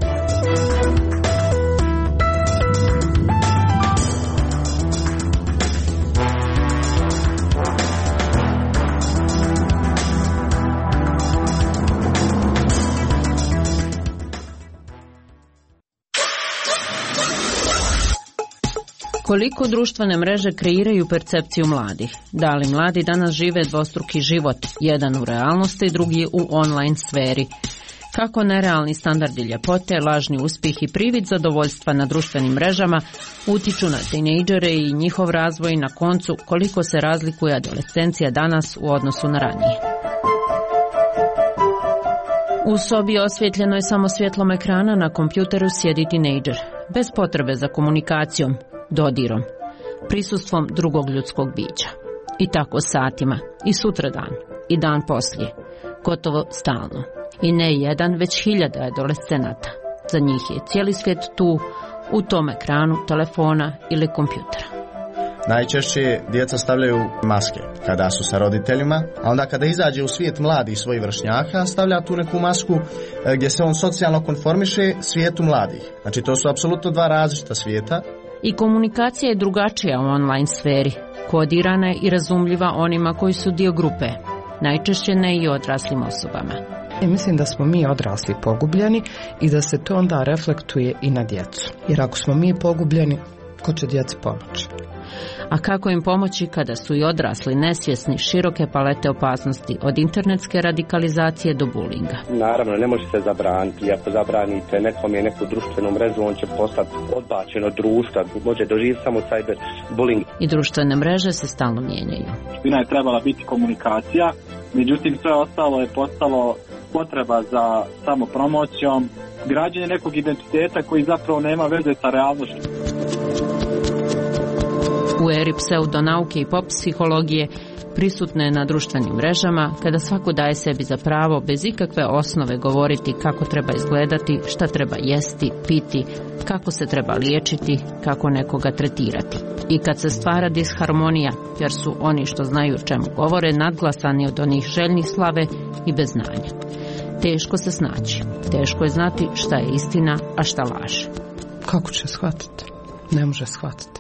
Koliko društvene mreže kreiraju percepciju mladih? Da li mladi danas žive dvostruki život, jedan u realnosti, drugi u online sferi? Kako nerealni standardi ljepote, lažni uspjeh i privid zadovoljstva na društvenim mrežama utiču na tinejdžere i njihov razvoj, na koncu koliko se razlikuje adolescencija danas u odnosu na ranije? U sobi osvjetljenoj samo svjetlom ekrana na kompjuteru sjedi tinejdžer, bez potrebe za komunikacijom, dodirom, prisustvom drugog ljudskog bića. I tako satima, i sutradan, i dan poslije, gotovo stalno. I ne jedan, već hiljada adolescenata. Za njih je cijeli svijet tu, u tom ekranu, telefona ili kompjutera. Najčešće djeca stavljaju maske kada su sa roditeljima, a onda kada izađe u svijet mladih svojih vršnjaka, stavlja tu neku masku gdje se on socijalno konformiše svijetu mladih. Znači to su apsolutno dva različita svijeta. I komunikacija je drugačija u online sferi, kodirana je i razumljiva onima koji su dio grupe, najčešće ne i odraslim osobama. Mislim da smo mi odrasli pogubljeni i da se to onda reflektuje i na djecu. Jer ako smo mi pogubljeni, ko će djeci pomoći? A kako im pomoći kada su i odrasli nesvjesni široke palete opasnosti od internetske radikalizacije do bulinga? Naravno, ne može se zabraniti. Ako zabranite nekom je neku društvenu mrežu, on će postati odbačen od društva. Može doživjeti samo cyber bullying. I društvene mreže se stalno mijenjaju. Špina je trebala biti komunikacija, međutim sve ostalo je postalo potreba za samopromocijom, građenje nekog identiteta koji zapravo nema veze sa realnošću. U eri pseudonauke i pop psihologije prisutne na društvenim mrežama, kada svako daje sebi za pravo bez ikakve osnove govoriti kako treba izgledati, šta treba jesti, piti, kako se treba liječiti, kako nekoga tretirati. I kad se stvara disharmonija, jer su oni što znaju o čemu govore nadglasani od onih željnih slave i bez znanja. Teško se snaći, teško je znati šta je istina, a šta laž. Kako će shvatiti? Ne može shvatiti.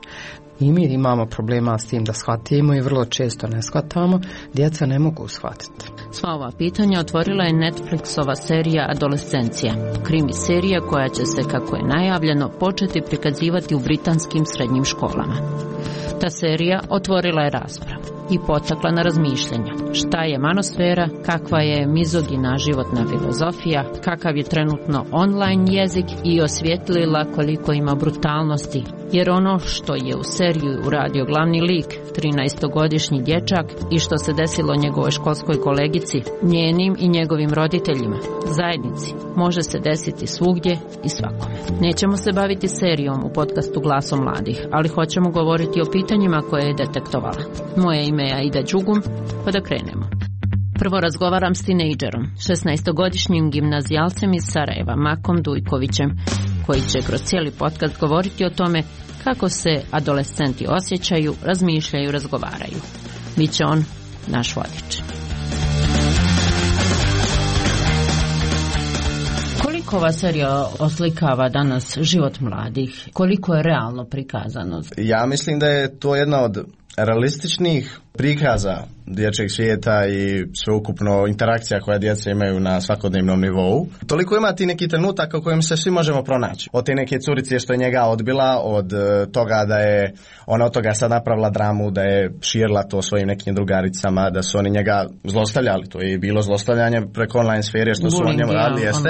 I mi imamo problema s tim da shvatimo i vrlo često ne shvatamo, djeca ne mogu shvatiti. Sva ova pitanja otvorila je Netflixova serija Adolescencija, krimi serija koja će se, kako je najavljeno, početi prikazivati u britanskim srednjim školama. Ta serija otvorila je raspravu i potakla na razmišljanja. Šta je manosfera, kakva je mizogina životna filozofija, kakav je trenutno online jezik i osvijetlila koliko ima brutalnosti. Jer ono što je u seriju uradio glavni lik, trinaestogodišnji dječak, i što se desilo njegovoj školskoj kolegici, njenim i njegovim roditeljima, zajednici, može se desiti svugdje i svakome. Nećemo se baviti serijom u podcastu Glasom mladih, ali hoćemo govoriti o pitanjima koje je detektovala. Moje ime je Aida Đugum, pa da krenemo. Prvo razgovaram s tinejdžerom, šesnaestogodišnjim gimnazijalcem iz Sarajeva, Makom Dujkovićem, koji će kroz cijeli podcast govoriti o tome kako se adolescenti osjećaju, razmišljaju, razgovaraju. Biće on naš vodič. Kako ova serija oslikava danas život mladih? Koliko je realno prikazano? Ja mislim da je to jedna od realističnih prikaza dječjeg svijeta i sveukupno interakcija koja djeca imaju na svakodnevnom nivou. Toliko ima ti neki trenutak u kojem se svi možemo pronaći. Od te neke curice što je njega odbila, od toga da je ona od toga sad napravila dramu, da je širila to svojim nekim drugaricama, da su oni njega zlostavljali. To je bilo zlostavljanje preko online sfere što su on njemu radili, jeste.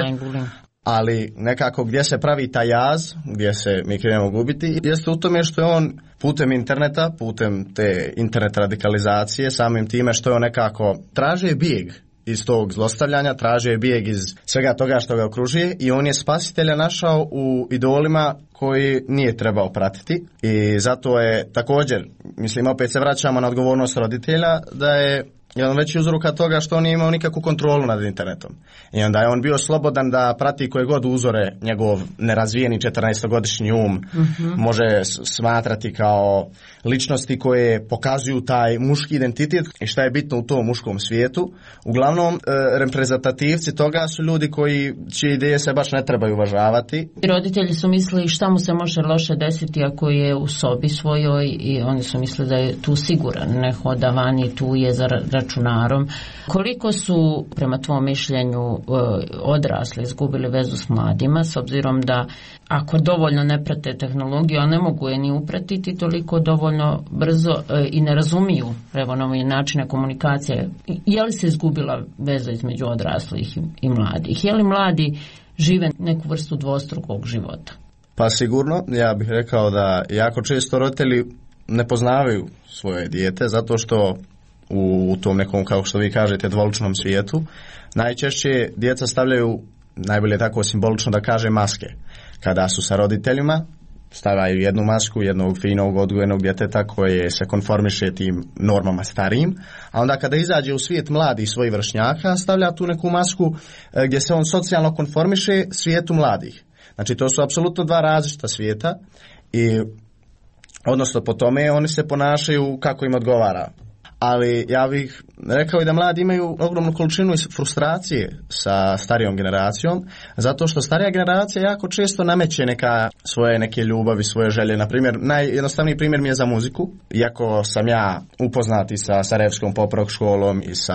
Ali nekako gdje se pravi taj jaz, gdje se mi krenemo gubiti, jeste u tome što je on putem interneta, putem te internet radikalizacije, samim time što je on nekako traže bijeg iz tog zlostavljanja, traže bijeg iz svega toga što ga okružuje i on je spasitelja našao u idolima koji nije trebao pratiti i zato je također, mislim opet se vraćamo na odgovornost roditelja, da je jedan veći uzroka toga što on nije imao nikakvu kontrolu nad internetom. I onda je on bio slobodan da prati koje god uzore njegov nerazvijeni četrnaestogodišnji um mm-hmm. može smatrati kao ličnosti koje pokazuju taj muški identitet i šta je bitno u tom muškom svijetu. Uglavnom, e, reprezentativci toga su ljudi koji, čije ideje se baš ne trebaju uvažavati. Roditelji su mislili šta mu se može loše desiti ako je u sobi svojoj i oni su mislili da je tu siguran, ne hoda vani, tu je za računarom. Koliko su, prema tvom mišljenju, odrasli izgubili vezu s mladima, s obzirom da ako dovoljno ne prate tehnologiju, a ne mogu je ni upratiti toliko dovoljno brzo i ne razumiju evo nove načine komunikacije, je li se izgubila veza između odraslih i mladih? Je li mladi žive neku vrstu dvostrukog života? Pa sigurno, ja bih rekao da jako često roditelji ne poznavaju svoje dijete zato što u tom nekom, kao što vi kažete, dvoličnom svijetu najčešće djeca stavljaju, najbolje tako simbolično da kaže, maske. Kada su sa roditeljima, stavljaju jednu masku jednog finog odgojenog djeteta koje se konformiše tim normama starijim, a onda kada izađe u svijet mladih svojih vršnjaka, stavlja tu neku masku gdje se on socijalno konformiše svijetu mladih. Znači to su apsolutno dva različita svijeta i odnosno po tome oni se ponašaju kako im odgovara. Ali ja bih rekao i da mladi imaju ogromnu količinu frustracije sa starijom generacijom, zato što starija generacija jako često nameće neka svoje neke ljubavi, svoje želje. Na primjer, najjednostavniji primjer mi je za muziku. Iako sam ja upoznati sa Sarajevskom pop rock školom i sa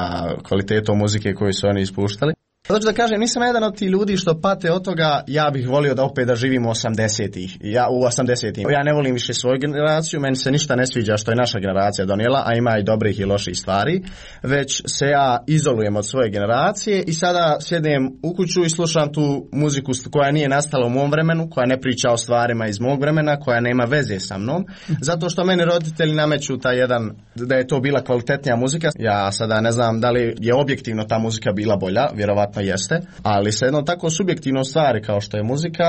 kvalitetom muzike koju su oni ispuštali, znači da kažem, nisam jedan od tih ljudi što pate od toga, ja bih volio da opet da živim u osamdesetih. Ja u osamdesetim. Ja ne volim više svoju generaciju, meni se ništa ne sviđa što je naša generacija donijela, a ima i dobrih i loših stvari, već se ja izolujem od svoje generacije i sada sjednem u kuću i slušam tu muziku koja nije nastala u mom vremenu, koja ne priča o stvarima iz mog vremena, koja nema veze sa mnom, zato što meni roditelji nameću taj jedan, da je to bila kvalitetnija muzika. Ja sada ne znam da li je objektivno ta muzika bila bolja, vjerovatno jeste, ali se jedno tako subjektivno stvari kao što je muzika,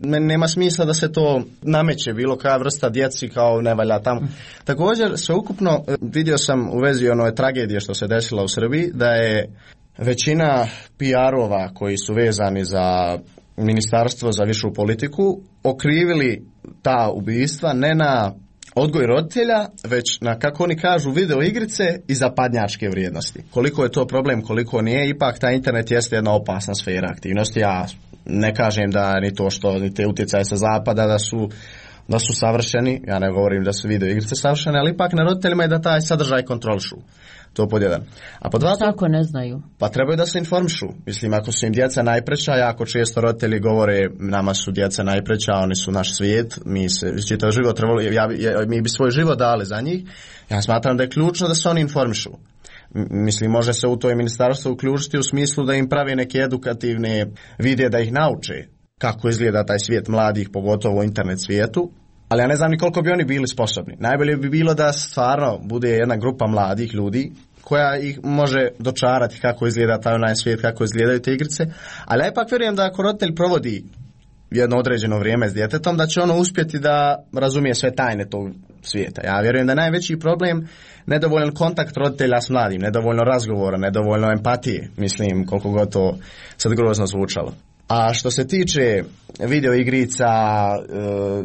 meni nema smisla da se to nameće bilo koja vrsta djeci kao ne valja tamo. Također, sveukupno vidio sam u vezi one tragedije što se desila u Srbiji, da je većina P R-ova koji su vezani za ministarstvo za višu politiku okrivili ta ubistva ne na odgoj roditelja, već na, kako oni kažu, video igrice i zapadnjačke vrijednosti. Koliko je to problem, koliko nije, ipak taj internet jeste jedna opasna sfera aktivnosti. Ja ne kažem da ni to što, ni te utjecaje sa zapada da su, da su savršeni, ja ne govorim da su video igrice savršene, ali ipak na roditeljima je da taj sadržaj kontrolišu. To pod jedan. A pod dva, tako ne znaju. Pa trebaju da se informišu. Mislim, ako su im djeca najpreća, jako često roditelji govore nama su djeca najpreća, oni su naš svijet, mi se čitav život trebali, ja, ja, mi bi svoj život dali za njih. Ja smatram da je ključno da se oni informišu. Mislim, može se u to i ministarstvo uključiti u smislu da im pravi neke edukativne videe da ih nauče kako izgleda taj svijet mladih, pogotovo u internet svijetu. Ali ja ne znam ni koliko bi oni bili sposobni. Najbolje bi bilo da stvarno bude jedna grupa mladih ljudi koja ih može dočarati kako izgleda taj online svijet, kako izgledaju te igrice. Ali ja ipak vjerujem da ako roditelj provodi jedno određeno vrijeme s djetetom, da će ono uspjeti da razumije sve tajne tog svijeta. Ja vjerujem da je najveći problem nedovoljan kontakt roditelja s mladim, nedovoljno razgovora, nedovoljno empatije, mislim, koliko god to sad grozno zvučalo. A što se tiče video igrica, e,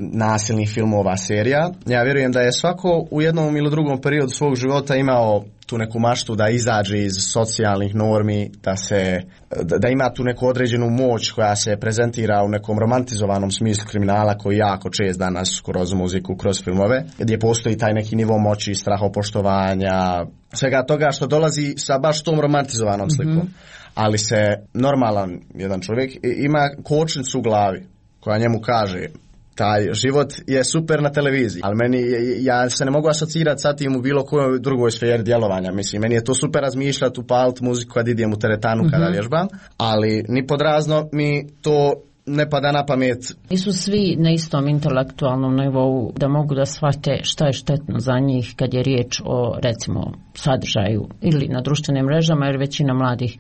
nasilnih filmova, serija, ja vjerujem da je svako u jednom ili drugom periodu svog života imao tu neku maštu da izađe iz socijalnih normi, da se da, da ima tu neku određenu moć koja se prezentira u nekom romantizovanom smislu kriminala koji jako čest danas kroz muziku, kroz filmove, gdje postoji taj neki nivo moći, strahopoštovanja, svega toga što dolazi sa baš tom romantizovanom slikom. Mm-hmm. Ali se normalan jedan čovjek ima kočnicu u glavi koja njemu kaže taj život je super na televiziji, ali meni, ja se ne mogu asocirati sa tim u bilo kojoj drugoj sferi djelovanja. Mislim, meni je to super razmišljati, upaliti muziku kad idem u teretanu, mm-hmm. kada vježbam, ali ni pod razno mi to ne pada na pamet. Nisu svi na istom intelektualnom nivou da mogu da shvate šta je štetno za njih kad je riječ o, recimo, sadržaju ili na društvenim mrežama, jer većina mladih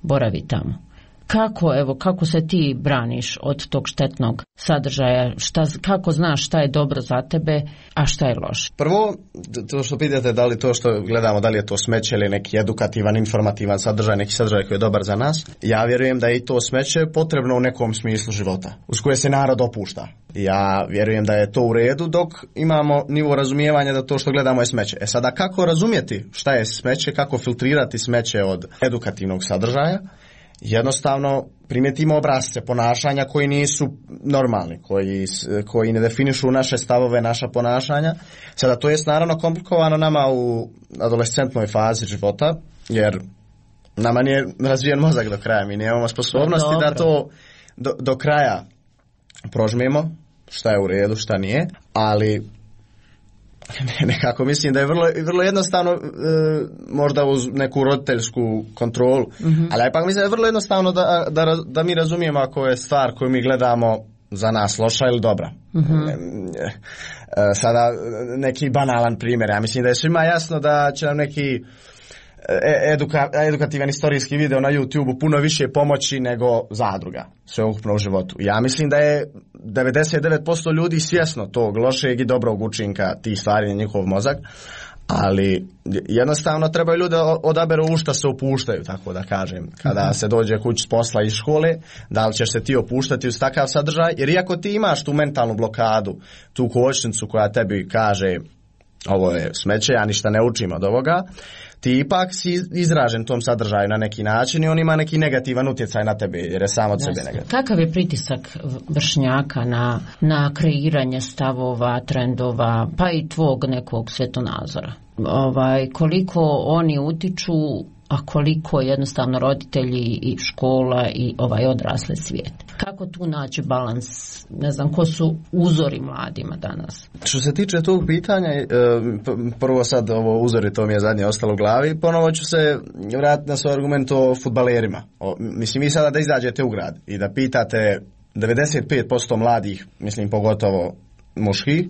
boravi tamo. Kako, evo, kako se ti braniš od tog štetnog sadržaja? Šta, kako znaš šta je dobro za tebe, a šta je loše? Prvo, to što pitate, da li to što gledamo, da li je to smeće ili neki edukativan, informativan sadržaj, neki sadržaj koji je dobar za nas, ja vjerujem da je i to smeće potrebno u nekom smislu života, uz koje se narod opušta. Ja vjerujem da je to u redu dok imamo nivo razumijevanja da to što gledamo je smeće. E sada, kako razumjeti šta je smeće, kako filtrirati smeće od edukativnog sadržaja? Jednostavno primijetimo obrasce ponašanja koji nisu normalni, koji, koji ne definišu naše stavove, naša ponašanja. Sada to je naravno komplikovano nama u adolescentnoj fazi života, jer nama nije razvijen mozak do kraja, mi nemamo sposobnosti da to do, do kraja prožmemo, šta je u redu, šta nije, ali nekako mislim da je vrlo, vrlo jednostavno, e, možda uz neku roditeljsku kontrolu, mm-hmm. ali ipak mislim da je vrlo jednostavno da, da, da mi razumijemo ako je stvar koju mi gledamo za nas loša ili dobra. Mm-hmm. E, e, sada neki banalan primjer, ja mislim da je svima jasno da će nam neki Eduka, edukativan istorijski video na YouTube puno više pomoći nego zadruga sveukupno u životu. Ja mislim da je devedeset devet posto ljudi svjesno tog lošeg i dobrog učinka tih stvari na njihov mozak, ali jednostavno trebaju ljudi odaberu u šta se opuštaju, tako da kažem, kada mm-hmm. se dođe kući s posla iz škole, da li ćeš se ti opuštati uz takav sadržaj, jer iako ti imaš tu mentalnu blokadu, tu kočnicu koja tebi kaže ovo je smeće, ja ništa ne učim od ovoga, ti ipak si izražen tom sadržaju na neki način i on ima neki negativan utjecaj na tebe jer je sam od Jasne. Sebe negativan. Kakav je pritisak vršnjaka na, na kreiranje stavova, trendova, pa i tvog nekog svjetonazora? Ovaj, koliko oni utiču, a koliko jednostavno roditelji i škola i ovaj odrasli svijet? Kako tu naći balans? Ne znam, ko su uzori mladima danas? Što se tiče tog pitanja, prvo sad ovo uzori, to mi je zadnje ostalo u glavi, ponovo ću se vratiti na svoj argument o fudbalerima. O, mislim, vi sada da izađete u grad i da pitate devedeset pet posto mladih, mislim pogotovo muških,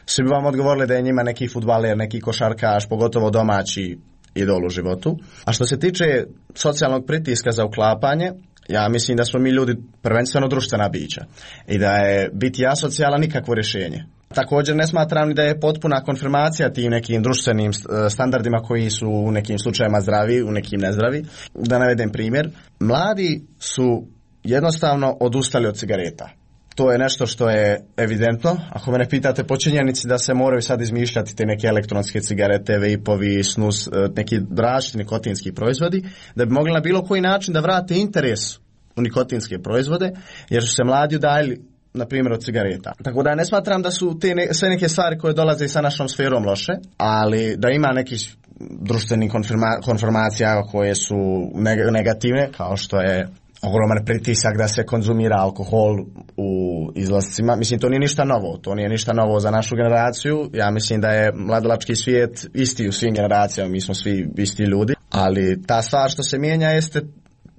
svi bi vam odgovorili da je njima neki fudbaler, neki košarkaš, pogotovo domaći idol u životu. A što se tiče socijalnog pritiska za uklapanje, ja mislim da smo mi ljudi prvenstveno društvena bića i da je biti asocijalan nikakvo rješenje. Također ne smatram ni da je potpuna konfirmacija tim nekim društvenim standardima koji su u nekim slučajevima zdravi, u nekim nezdravi. Da navedem primjer, mladi su jednostavno odustali od cigareta. To je nešto što je evidentno. Ako me ne pitate po činjenici da se moraju sad izmišljati te neke elektronske cigarete, vejpovi, snus, neki različiti nikotinski proizvodi, da bi mogli na bilo koji način da vrate interes u nikotinske proizvode, jer su se mladi udaljili, na primjer, od cigareta. Tako da ne smatram da su te ne, sve neke stvari koje dolaze sa našom sferom loše, ali da ima nekih društvenih konfirma, konformacija koje su negativne, kao što je ogroman pritisak da se konzumira alkohol u izlascima. Mislim, to nije ništa novo. To nije ništa novo za našu generaciju. Ja mislim da je mladalački svijet isti u svim generacijama. Mi smo svi isti ljudi. Ali ta stvar što se mijenja jeste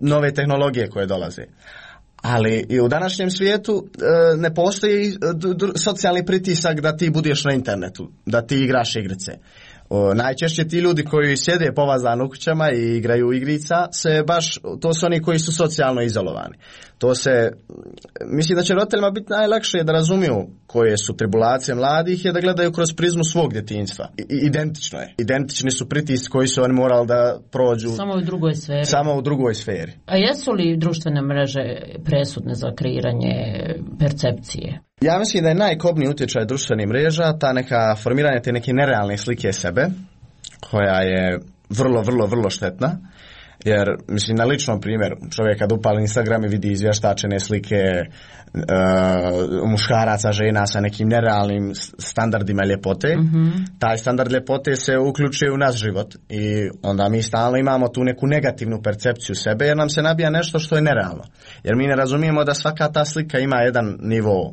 nove tehnologije koje dolaze. Ali i u današnjem svijetu e, ne postoji d- d- socijalni pritisak da ti budeš na internetu, da ti igraš igrice. O, najčešće ti ljudi koji sjede povazani u kućama i igraju igrica, se baš, to su oni koji su socijalno izolovani. To se, mislim da će roditeljima biti najlakše da razumiju koje su tribulacije mladih je da gledaju kroz prizmu svog djetinjstva. I, identično je. Identični su pritisci koji su oni morali da prođu. Samo u drugoj sferi. Samo u drugoj sferi. A jesu li društvene mreže presudne za kreiranje percepcije? Ja mislim da je najkobniji utjecaj društvenih mreža ta neka formiranje te neke nerealne slike sebe, koja je vrlo, vrlo, vrlo štetna. Jer, mislim, na ličnom primjeru, čovjek kad upali Instagram i vidi izvještačene slike uh, muškaraca, žena sa nekim nerealnim standardima ljepote, mm-hmm. taj standard ljepote se uključuje u naš život i onda mi stalno imamo tu neku negativnu percepciju sebe jer nam se nabija nešto što je nerealno. Jer mi ne razumijemo da svaka ta slika ima jedan nivo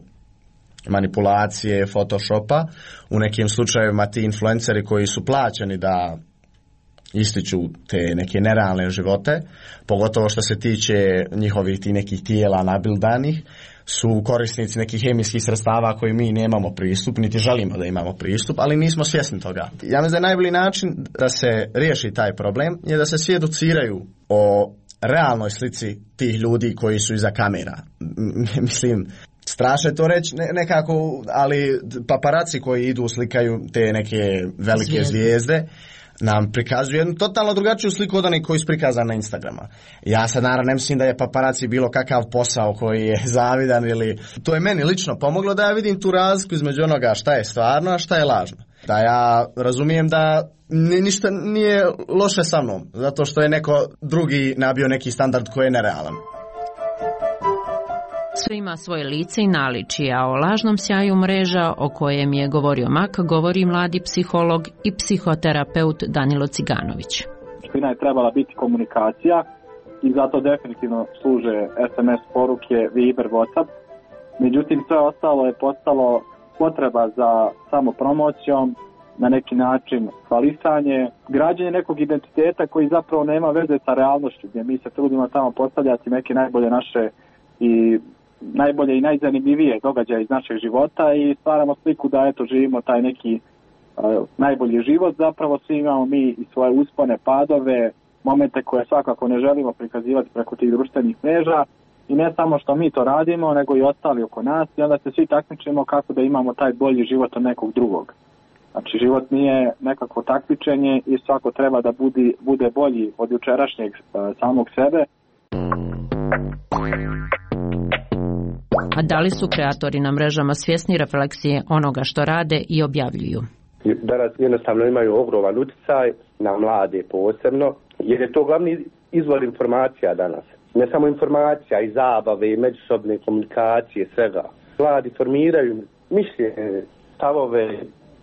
manipulacije, photoshopa, u nekim slučajevima ti influenceri koji su plaćeni da ističu te neke nerealne živote, pogotovo što se tiče njihovih ti nekih tijela nabildanih, su korisnici nekih hemijskih sredstava koji mi nemamo pristup, niti želimo da imamo pristup, ali nismo svjesni toga. Ja mislim da je najbolji način da se riješi taj problem je da se svi educiraju o realnoj slici tih ljudi koji su iza kamera. Mislim, strašno je to reći nekako, ali paparaci koji idu slikaju te neke velike zvijezde, zvijezde nam prikazuju jednu totalno drugačiju sliku od onih koji su prikazani na Instagrama. Ja sad naravno ne mislim da je paparaci bilo kakav posao koji je zavidan ili... To je meni lično pomoglo da ja vidim tu razliku između onoga šta je stvarno, a šta je lažno. Da ja razumijem da ništa nije loše sa mnom, zato što je neko drugi nabio neki standard koji je nerealan. Sve ima svoje lice i naličje, a o lažnom sjaju mreža o kojem je govorio Mak govori mladi psiholog i psihoterapeut Danilo Ciganović. Suština je trebala biti komunikacija i zato definitivno služe es em es poruke, Viber, WhatsApp. Međutim, sve ostalo je postalo potreba za samopromocijom, na neki način hvalisanje, građenje nekog identiteta koji zapravo nema veze sa realnošću, gdje mi se trudimo tamo postavljati neke najbolje naše i najbolje i najzanimljivije događaje iz našeg života i stvaramo sliku da eto živimo taj neki uh, najbolji život. Zapravo svi imamo mi i svoje uspone, padove, momente koje svakako ne želimo prikazivati preko tih društvenih mreža i ne samo što mi to radimo, nego i ostali oko nas i onda se svi takmičimo kako da imamo taj bolji život od nekog drugog. Znači život nije nekako takmičenje i svako treba da budi, bude bolji od jučerašnjeg uh, samog sebe. A da li su kreatori na mrežama svjesni refleksije onoga što rade i objavljuju? Danas jednostavno imaju ogroman utjecaj na mlade posebno, jer je to glavni izvor informacija danas. Ne samo informacija, i zabave, i međusobne komunikacije, svega. Mladi formiraju mišljenje, stavove,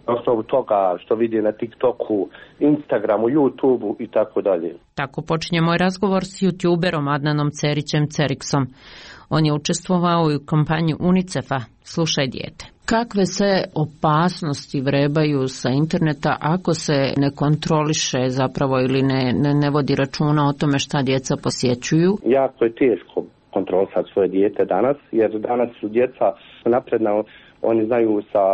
na osnovu toga što vidi na TikToku, Instagramu, YouTubeu i tako dalje. Tako počinje moj razgovor s youtuberom Adnanom Cerićem Ceriksom. On je učestvovao i u kampanji UNICEF-a Slušaj dijete. Kakve se opasnosti vrebaju sa interneta ako se ne kontroliše zapravo ili ne, ne, ne vodi računa o tome šta djeca posjećuju? Jako je teško kontrolisati svoje dijete danas, jer danas su djeca napredna, oni znaju sa,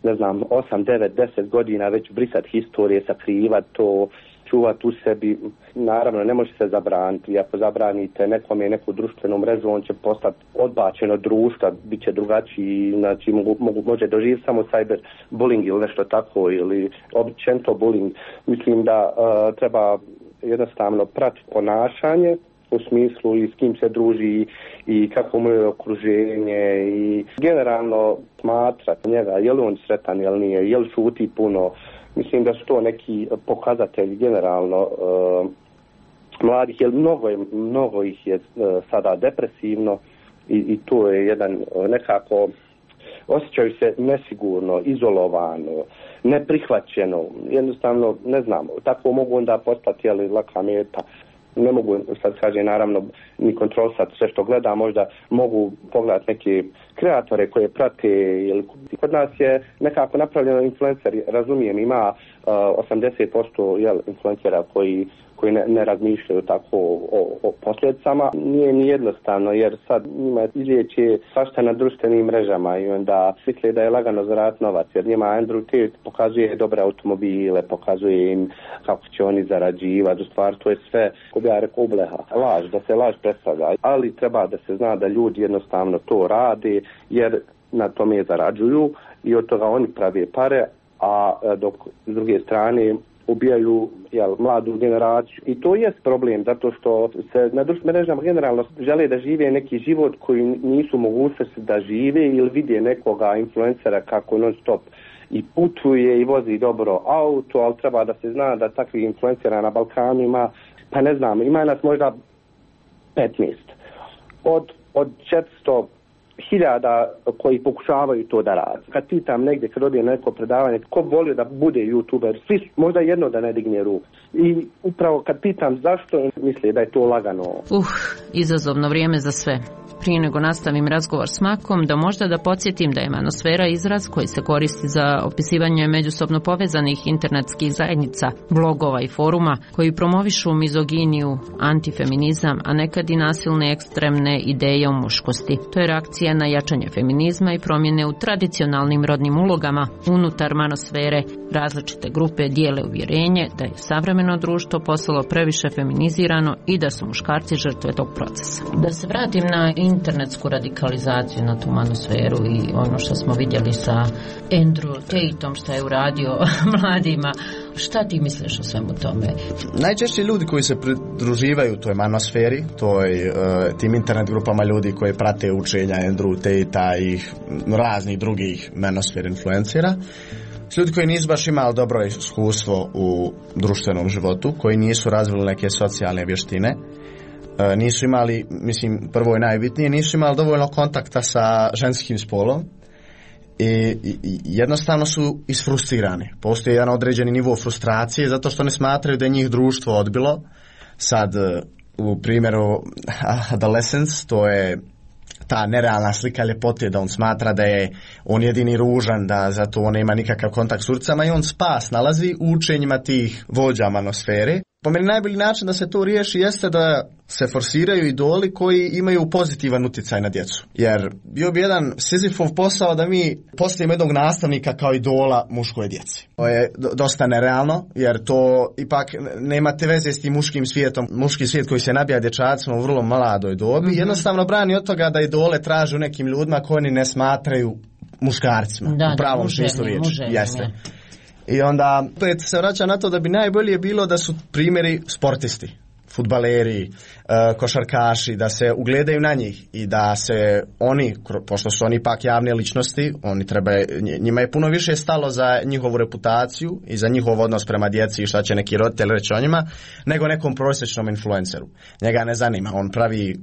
ne znam, osam, devet, deset godina već brisati historije, sakrivati to, čuvati u sebi. Naravno, ne može se zabraniti. I ako zabranite nekom je neku društvenu mrežu, on će postati odbačen od društva, bit će drugačiji, znači mogu, mogu, može doživjeti samo cyber bullying ili nešto tako, ili općenito bullying. Mislim da uh, treba jednostavno pratiti ponašanje, u smislu i s kim se druži i kako mu je okruženje i generalno smatrati njega, je li on sretan, je li nije, je li šuti puno. Mislim da su to neki pokazatelji generalno uh, mladih, jer mnogo, je, mnogo ih je uh, sada depresivno i, i to je jedan uh, nekako, osjećaju se nesigurno, izolovano, neprihvaćeno, jednostavno ne znam, tako mogu onda postati jeli, laka meta. Ne mogu, sad kaže, naravno, ni kontrolisati sve što gleda, možda mogu pogledati neke kreatore koje prate, ili kod nas je nekako napravljeno influenceri, razumijem, ima uh, osamdeset posto jel, influencera koji koji ne, ne razmišljaju tako o, o posljedicama. Nije ni jednostavno jer sad njima izlijeće svašta na društvenim mrežama i onda misle da je lagano zaraditi novac jer njima Andrew Tate pokazuje dobre automobile, pokazuje im kako će oni zarađivati, u stvari to je sve, ko bi ja rekao, ubleha, laž, da se laž predstavlja, ali treba da se zna da ljudi jednostavno to rade jer na tome zarađuju i od toga oni prave pare, a dok s druge strane ubijaju jel, mladu generaciju. I to je problem, zato što se na društvenim mrežama generalno žele da žive neki život koji nisu mogućnosti da žive ili vide nekoga influencera kako non stop i putuje i vozi dobro auto, ali treba da se zna da takvih influencera na Balkanu ima, pa ne znam, ima nas možda petnaest. Od, od četiristo hiljada koji pokušavaju to da radi. Kad pitam negdje, kad odijem neko predavanje, ko volio da bude youtuber, svi možda jedno da ne digne ruku. I upravo kad pitam zašto, misle da je to lagano. Uh, izazovno vrijeme za sve. Prije nego nastavim razgovor s Makom, da možda da podsjetim da je manosfera izraz koji se koristi za opisivanje međusobno povezanih internetskih zajednica, blogova i foruma koji promovišu mizoginiju, antifeminizam, a nekad i nasilne ekstremne ideje o muškosti. To je reakcija na jačanje feminizma i promjene u tradicionalnim rodnim ulogama unutar manosfere. Različite grupe dijele uvjerenje da je savremeno društvo postalo previše feminizirano i da su muškarci žrtve tog procesa. Da se vratim na internetsku radikalizaciju, na tu manosferu i ono što smo vidjeli sa Andrew Tateom što je uradio mladima. Šta ti misliš o svemu tome? Najčešće ljudi koji se pridruživaju toj manosferi, toj, uh, tim internet grupama ljudi koji prate učenja Andrew Tate-a i raznih drugih manosfer influencera, ljudi koji nisu baš imali dobro iskustvo u društvenom životu, koji nisu razvili neke socijalne vještine, nisu imali, mislim, prvo i najbitnije, nisu imali dovoljno kontakta sa ženskim spolom i, i, i jednostavno su isfrustrirani. Postoji jedan određeni nivo frustracije zato što ne smatraju da je njih društvo odbilo. Sad, u primjeru adolescence, to je ta nerealna slika ljepote, da on smatra da je on jedini ružan, da zato on nema nikakav kontakt s urcama i on spas nalazi u učenjima tih vođa manosfere. Po meni najbolji način da se to riješi jeste da se forsiraju idoli koji imaju pozitivan utjecaj na djecu. Jer bio bi jedan Sizifov posao da mi postavimo jednog nastavnika kao idola muškoj djeci. To je dosta nerealno, jer to ipak nemate veze s tim muškim svijetom. Muški svijet koji se nabija dječacima u vrlo mladoj dobi, mm-hmm. jednostavno brani od toga da idole traže u nekim ljudima koji oni ne smatraju muškarcima. Da, u pravom da, smislu riječi. Jeste. I onda opet se vraća na to da bi najbolje bilo da su primjeri sportisti, fudbaleri, košarkaši, da se ugledaju na njih i da se oni, pošto su oni ipak javne ličnosti, oni treba, njima je puno više stalo za njihovu reputaciju i za njihov odnos prema djeci i šta će neki roditelj reći o njima, nego nekom prosječnom influenceru. Njega ne zanima, on pravi,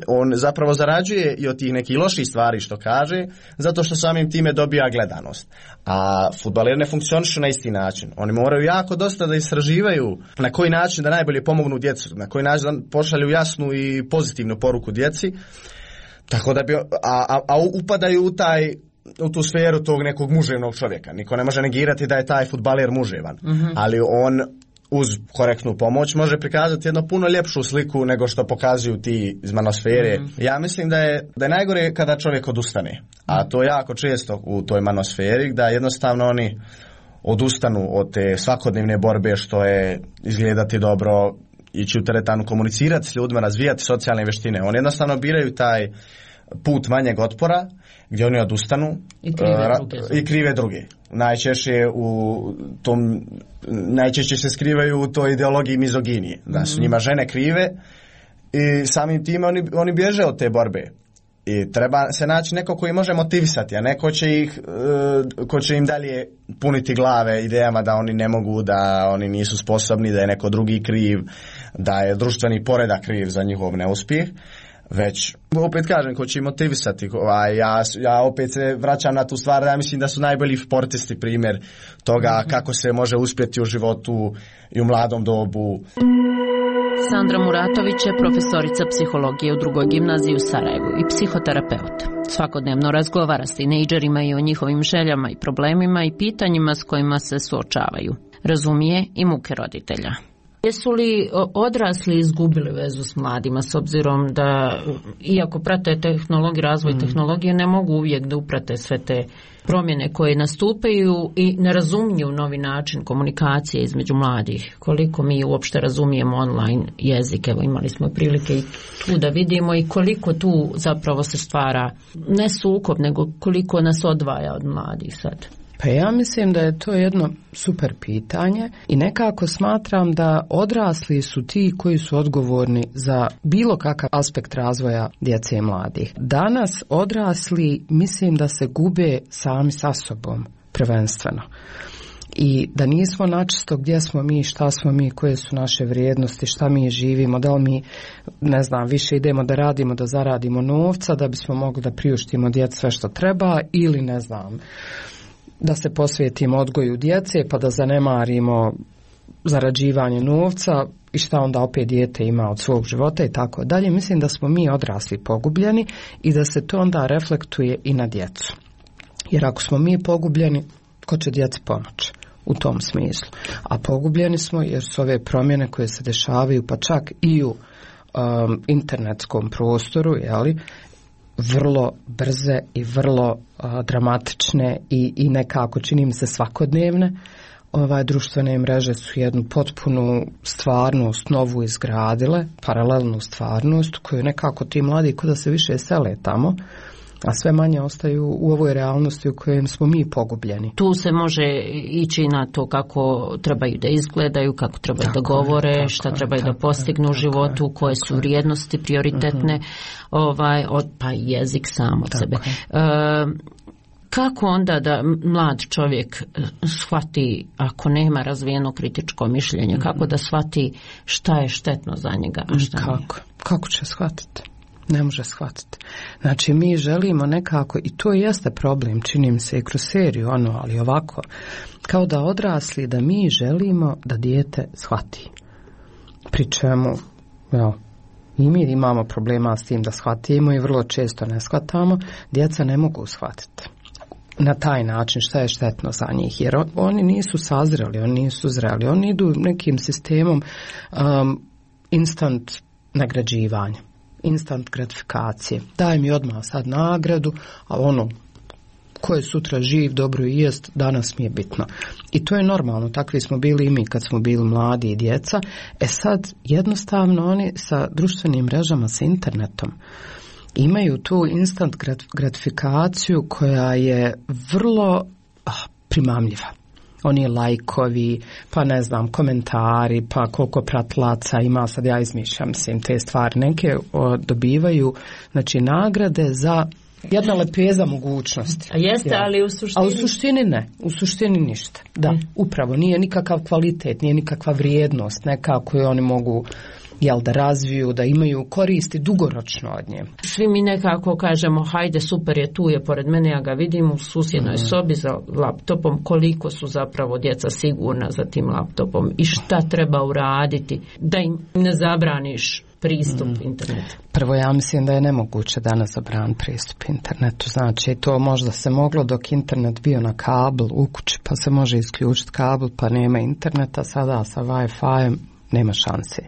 on zapravo zarađuje i od tih nekih loših stvari što kaže, zato što samim time dobija gledanost. A fudbaleri ne funkcionišu na isti način. Oni moraju jako dosta da istraživaju na koji način da najbolje pomognu djecu, na koji način da pošalju jasnu i pozitivnu poruku djeci, tako da bi, a, a, a upadaju u taj, u tu sferu tog nekog muževnog čovjeka. Niko ne može negirati da je taj fudbaler muževan, mm-hmm. ali on uz korektnu pomoć može prikazati jednu puno ljepšu sliku nego što pokazuju ti iz manosfere. Mm-hmm. Ja mislim da je, da je najgore kada čovjek odustane, a to je jako često u toj manosferi, da jednostavno oni odustanu od te svakodnevne borbe što je izgledati dobro, ići u teretanu, komunicirati s ljudima, razvijati socijalne vještine. Oni jednostavno biraju taj put manjeg otpora gdje oni odustanu i krive ra- druge. I krive druge. Najčešće u tom, najčešće se skrivaju u toj ideologiji mizoginije. Da su njima žene krive i samim time oni, oni bježe od te borbe. I treba se naći neko koji može motivisati, a neko će ih, uh, ko će im dalje puniti glave idejama da oni ne mogu, da oni nisu sposobni, da je neko drugi kriv, da je društveni poredak kriv za njihov neuspjeh. Već, opet kažem, ko će im motivisati. Ovaj, ja, ja opet se vraćam na tu stvar, ja mislim da su najbolji sportisti primjer toga mm-hmm. kako se može uspjeti u životu i u mladom dobu. Sandra Muratović je profesorica psihologije u drugoj gimnaziji u Sarajevu i psihoterapeut. Svakodnevno razgovara s tinejdžerima i o njihovim željama i problemima i pitanjima s kojima se suočavaju. Razumije i muke roditelja. Jesu li odrasli izgubili vezu s mladima, s obzirom da, iako prate tehnologiju, razvoj mm. tehnologije, ne mogu uvijek da uprate sve te promjene koje nastupaju i ne razumiju novi način komunikacije između mladih. Koliko mi uopšte razumijemo online jezik, evo imali smo prilike i tu da vidimo i koliko tu zapravo se stvara ne sukob, nego koliko nas odvaja od mladih sad. Pa ja mislim da je to jedno super pitanje i nekako smatram da odrasli su ti koji su odgovorni za bilo kakav aspekt razvoja djece i mladih. Danas odrasli mislim da se gube sami sa sobom prvenstveno. I da nismo načisto gdje smo mi, šta smo mi, koje su naše vrijednosti, šta mi živimo, da li mi, ne znam, više idemo da radimo, da zaradimo novca, da bismo mogli da priuštimo djeci sve što treba ili ne znam, da se posvetimo odgoju djece pa da zanemarimo zarađivanje novca i šta onda opet dijete ima od svog života i tako dalje. Mislim da smo mi odrasli pogubljeni i da se to onda reflektuje i na djecu. Jer ako smo mi pogubljeni, ko će djeci pomoći u tom smislu? A pogubljeni smo jer su ove promjene koje se dešavaju pa čak i u um, internetskom prostoru, jeli, vrlo brze i vrlo a, dramatične i, i nekako čini mi se svakodnevne. Ovaj, društvene mreže su jednu potpunu stvarnost novu izgradile, paralelnu stvarnost koju nekako ti mladi kod da se više sele tamo, a sve manje ostaju u ovoj realnosti u kojem smo mi pogubljeni. Tu se može ići na to kako trebaju da izgledaju, kako trebaju tako da govore, je, šta trebaju da postignu u životu, je, koje su vrijednosti prioritetne, uh-huh. ovaj, od, pa jezik sam od tako sebe. E, kako onda da mlad čovjek shvati, ako nema razvijeno kritičko mišljenje, uh-huh. kako da shvati šta je štetno za njega, a šta kako? nije? Kako će shvatiti? Ne može shvatiti. Znači mi želimo nekako, i to jeste problem, čini mi se i kroz seriju, ono, ali ovako, kao da odrasli, da mi želimo da dijete shvati. Pri čemu, ja, i mi imamo problema s tim da shvatimo i vrlo često ne shvatamo, djeca ne mogu shvatiti na taj način šta je štetno za njih, jer on, oni nisu sazreli, oni nisu zreli, oni idu nekim sistemom um, instant nagrađivanja, instant gratifikacije. Daj mi odmah sad nagradu, a ono ko je sutra živ, dobro i jest, danas mi je bitno. I to je normalno, takvi smo bili i mi kad smo bili mladi i djeca. E sad, jednostavno oni sa društvenim mrežama, sa internetom, imaju tu instant gratifikaciju koja je vrlo ah, primamljiva. Oni lajkovi, pa ne znam, komentari, pa koliko pratilaca ima, sad ja izmišljam, mislim, te stvari. Neke o, dobivaju, znači, nagrade za jedna lepeza mogućnosti. A jeste, ja. ali u suštini... A u suštini ne, u suštini ništa. Da, mm. upravo, nije nikakav kvalitet, nije nikakva vrijednost, nekako je oni mogu... jel da razviju, da imaju koristi dugoročno od nje. Svi mi nekako kažemo, hajde super je tu, je pored mene, ja ga vidim u susjednoj mm. sobi za laptopom, koliko su zapravo djeca sigurna za tim laptopom i šta treba uraditi da im ne zabraniš pristup mm. internetu. Prvo, ja mislim da je nemoguće danas zabraniti pristup internetu. Znači, to možda se moglo dok internet bio na kabel u kući, pa se može isključiti kabel, pa nema interneta, sada sa Wi-Fi nema šanse.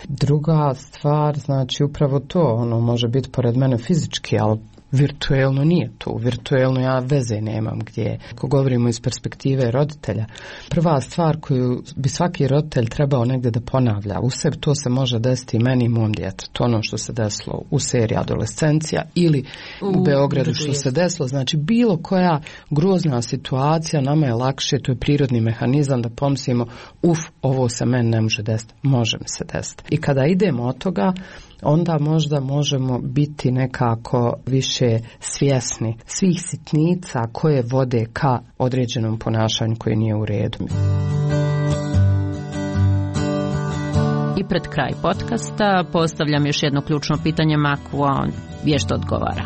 Druga stvar, znači upravo to, ono može biti pored mene fizički, ali virtuelno nije to. Virtuelno ja veze nemam gdje. Ako govorimo iz perspektive roditelja, prva stvar koju bi svaki roditelj trebao negdje da ponavlja u sebi, to se može desiti i meni i mom djetetu. Ono što se desilo u seriji Adolescencija ili u, u Beogradu što se desilo. Znači bilo koja grozna situacija, nama je lakše, to je prirodni mehanizam da pomislimo, uf, ovo se meni ne može desiti, može mi se desiti. I kada idemo od toga, onda možda možemo biti nekako više svjesni svih sitnica koje vode ka određenom ponašanju koje nije u redu. I pred kraj podcasta postavljam još jedno ključno pitanje Maku, a on vješto odgovara.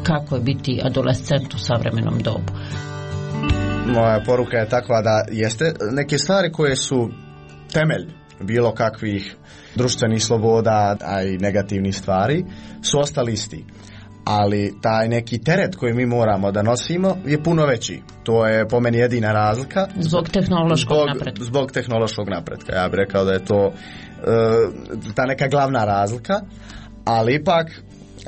Kako je biti adolescent u savremenom dobu? Moja poruka je takva da jeste neke stvari koje su temelj bilo kakvih društvenih sloboda, a i negativnih stvari, su ostali isti. ali taj neki teret koji mi moramo da nosimo je puno veći. To je po meni jedina razlika. Zbog tehnološkog zbog, napretka. Zbog tehnološkog napretka. Ja bih rekao da je to uh, ta neka glavna razlika, ali ipak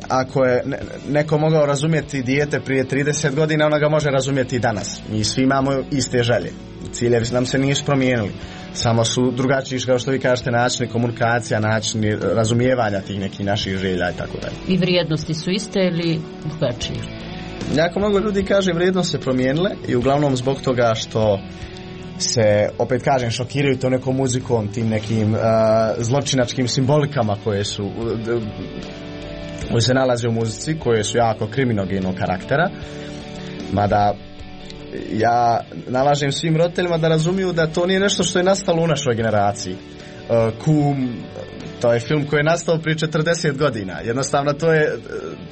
ako je neko mogao razumjeti dijete prije trideset godina, ona ga može razumjeti i danas. Mi svi imamo iste želje. Ciljevi nam se nisu promijenili. Samo su drugačiji, kao što vi kažete, načini komunikacija, načini razumijevanja tih nekih naših želja i tako dalje. I vrijednosti su iste ili drugačije? Jako mnogo ljudi kaže vrijednosti se promijenile i uglavnom zbog toga što se, opet kažem, šokiraju to nekom muzikom, tim nekim uh, zločinačkim simbolikama koje su uh, koje se nalaze u muzici, koje su jako kriminogenog karaktera. Mada ja nalažem svim roditeljima da razumiju da to nije nešto što je nastalo u našoj generaciji. Uh, Kum, to je film koji je nastao prije četrdeset godina. Jednostavno to je,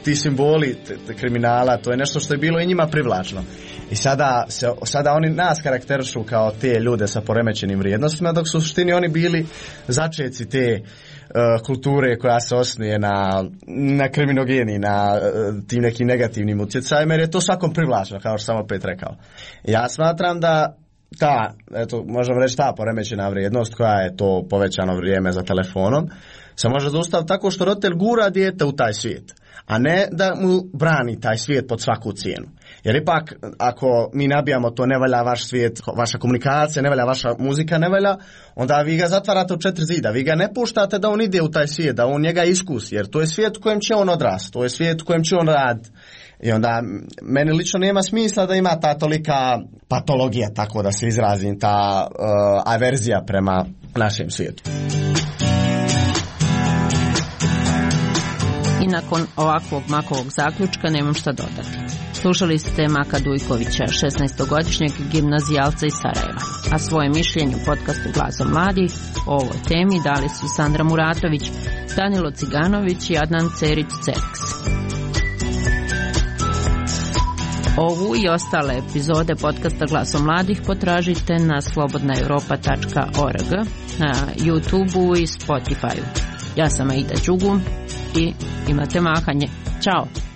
ti simboli te, te kriminala, to je nešto što je bilo i njima privlačno. I sada, se, sada oni nas karakterišu kao te ljude sa poremećenim vrijednostima, dok su u suštini oni bili začeci te uh, kulture koja se osnuje na, na kriminogeni, na uh, tim nekim negativnim utjecajima, jer je to svakom privlačno, kao što sam opet rekao. Ja smatram da ta, eto, možemo reći ta poremećena vrijednost koja je to povećano vrijeme za telefonom, se može zaustaviti tako što roditelj gura dijete u taj svijet, a ne da mu brani taj svijet pod svaku cijenu. Jer ipak, ako mi nabijamo to ne valja vaš svijet, vaša komunikacija, ne valja vaša muzika, ne valja, onda vi ga zatvarate u četiri zida, vi ga ne puštate da on ide u taj svijet, da on njega iskusi, jer to je svijet u kojem će on odrasti, to je svijet u kojem će on raditi. I onda meni lično nema smisla da ima ta tolika patologija, tako da se izrazim, ta uh, averzija prema našem svijetu. I nakon ovakvog Makovog zaključka nemam šta dodati. Slušali ste Maka Dujkovića, šesnaestogodišnjeg gimnazijalca iz Sarajeva, a svoje mišljenje u podcastu Glasom mladih o ovoj temi dali su Sandra Muratović, Danilo Ciganović i Adnan Cerić-Cerks. Ovu i ostale epizode podcasta Glasom mladih potražite na slobodna europa tačka org, na YouTubeu i Spotifyu. Ja sam Aida Đugum i imate mahanje. Ćao!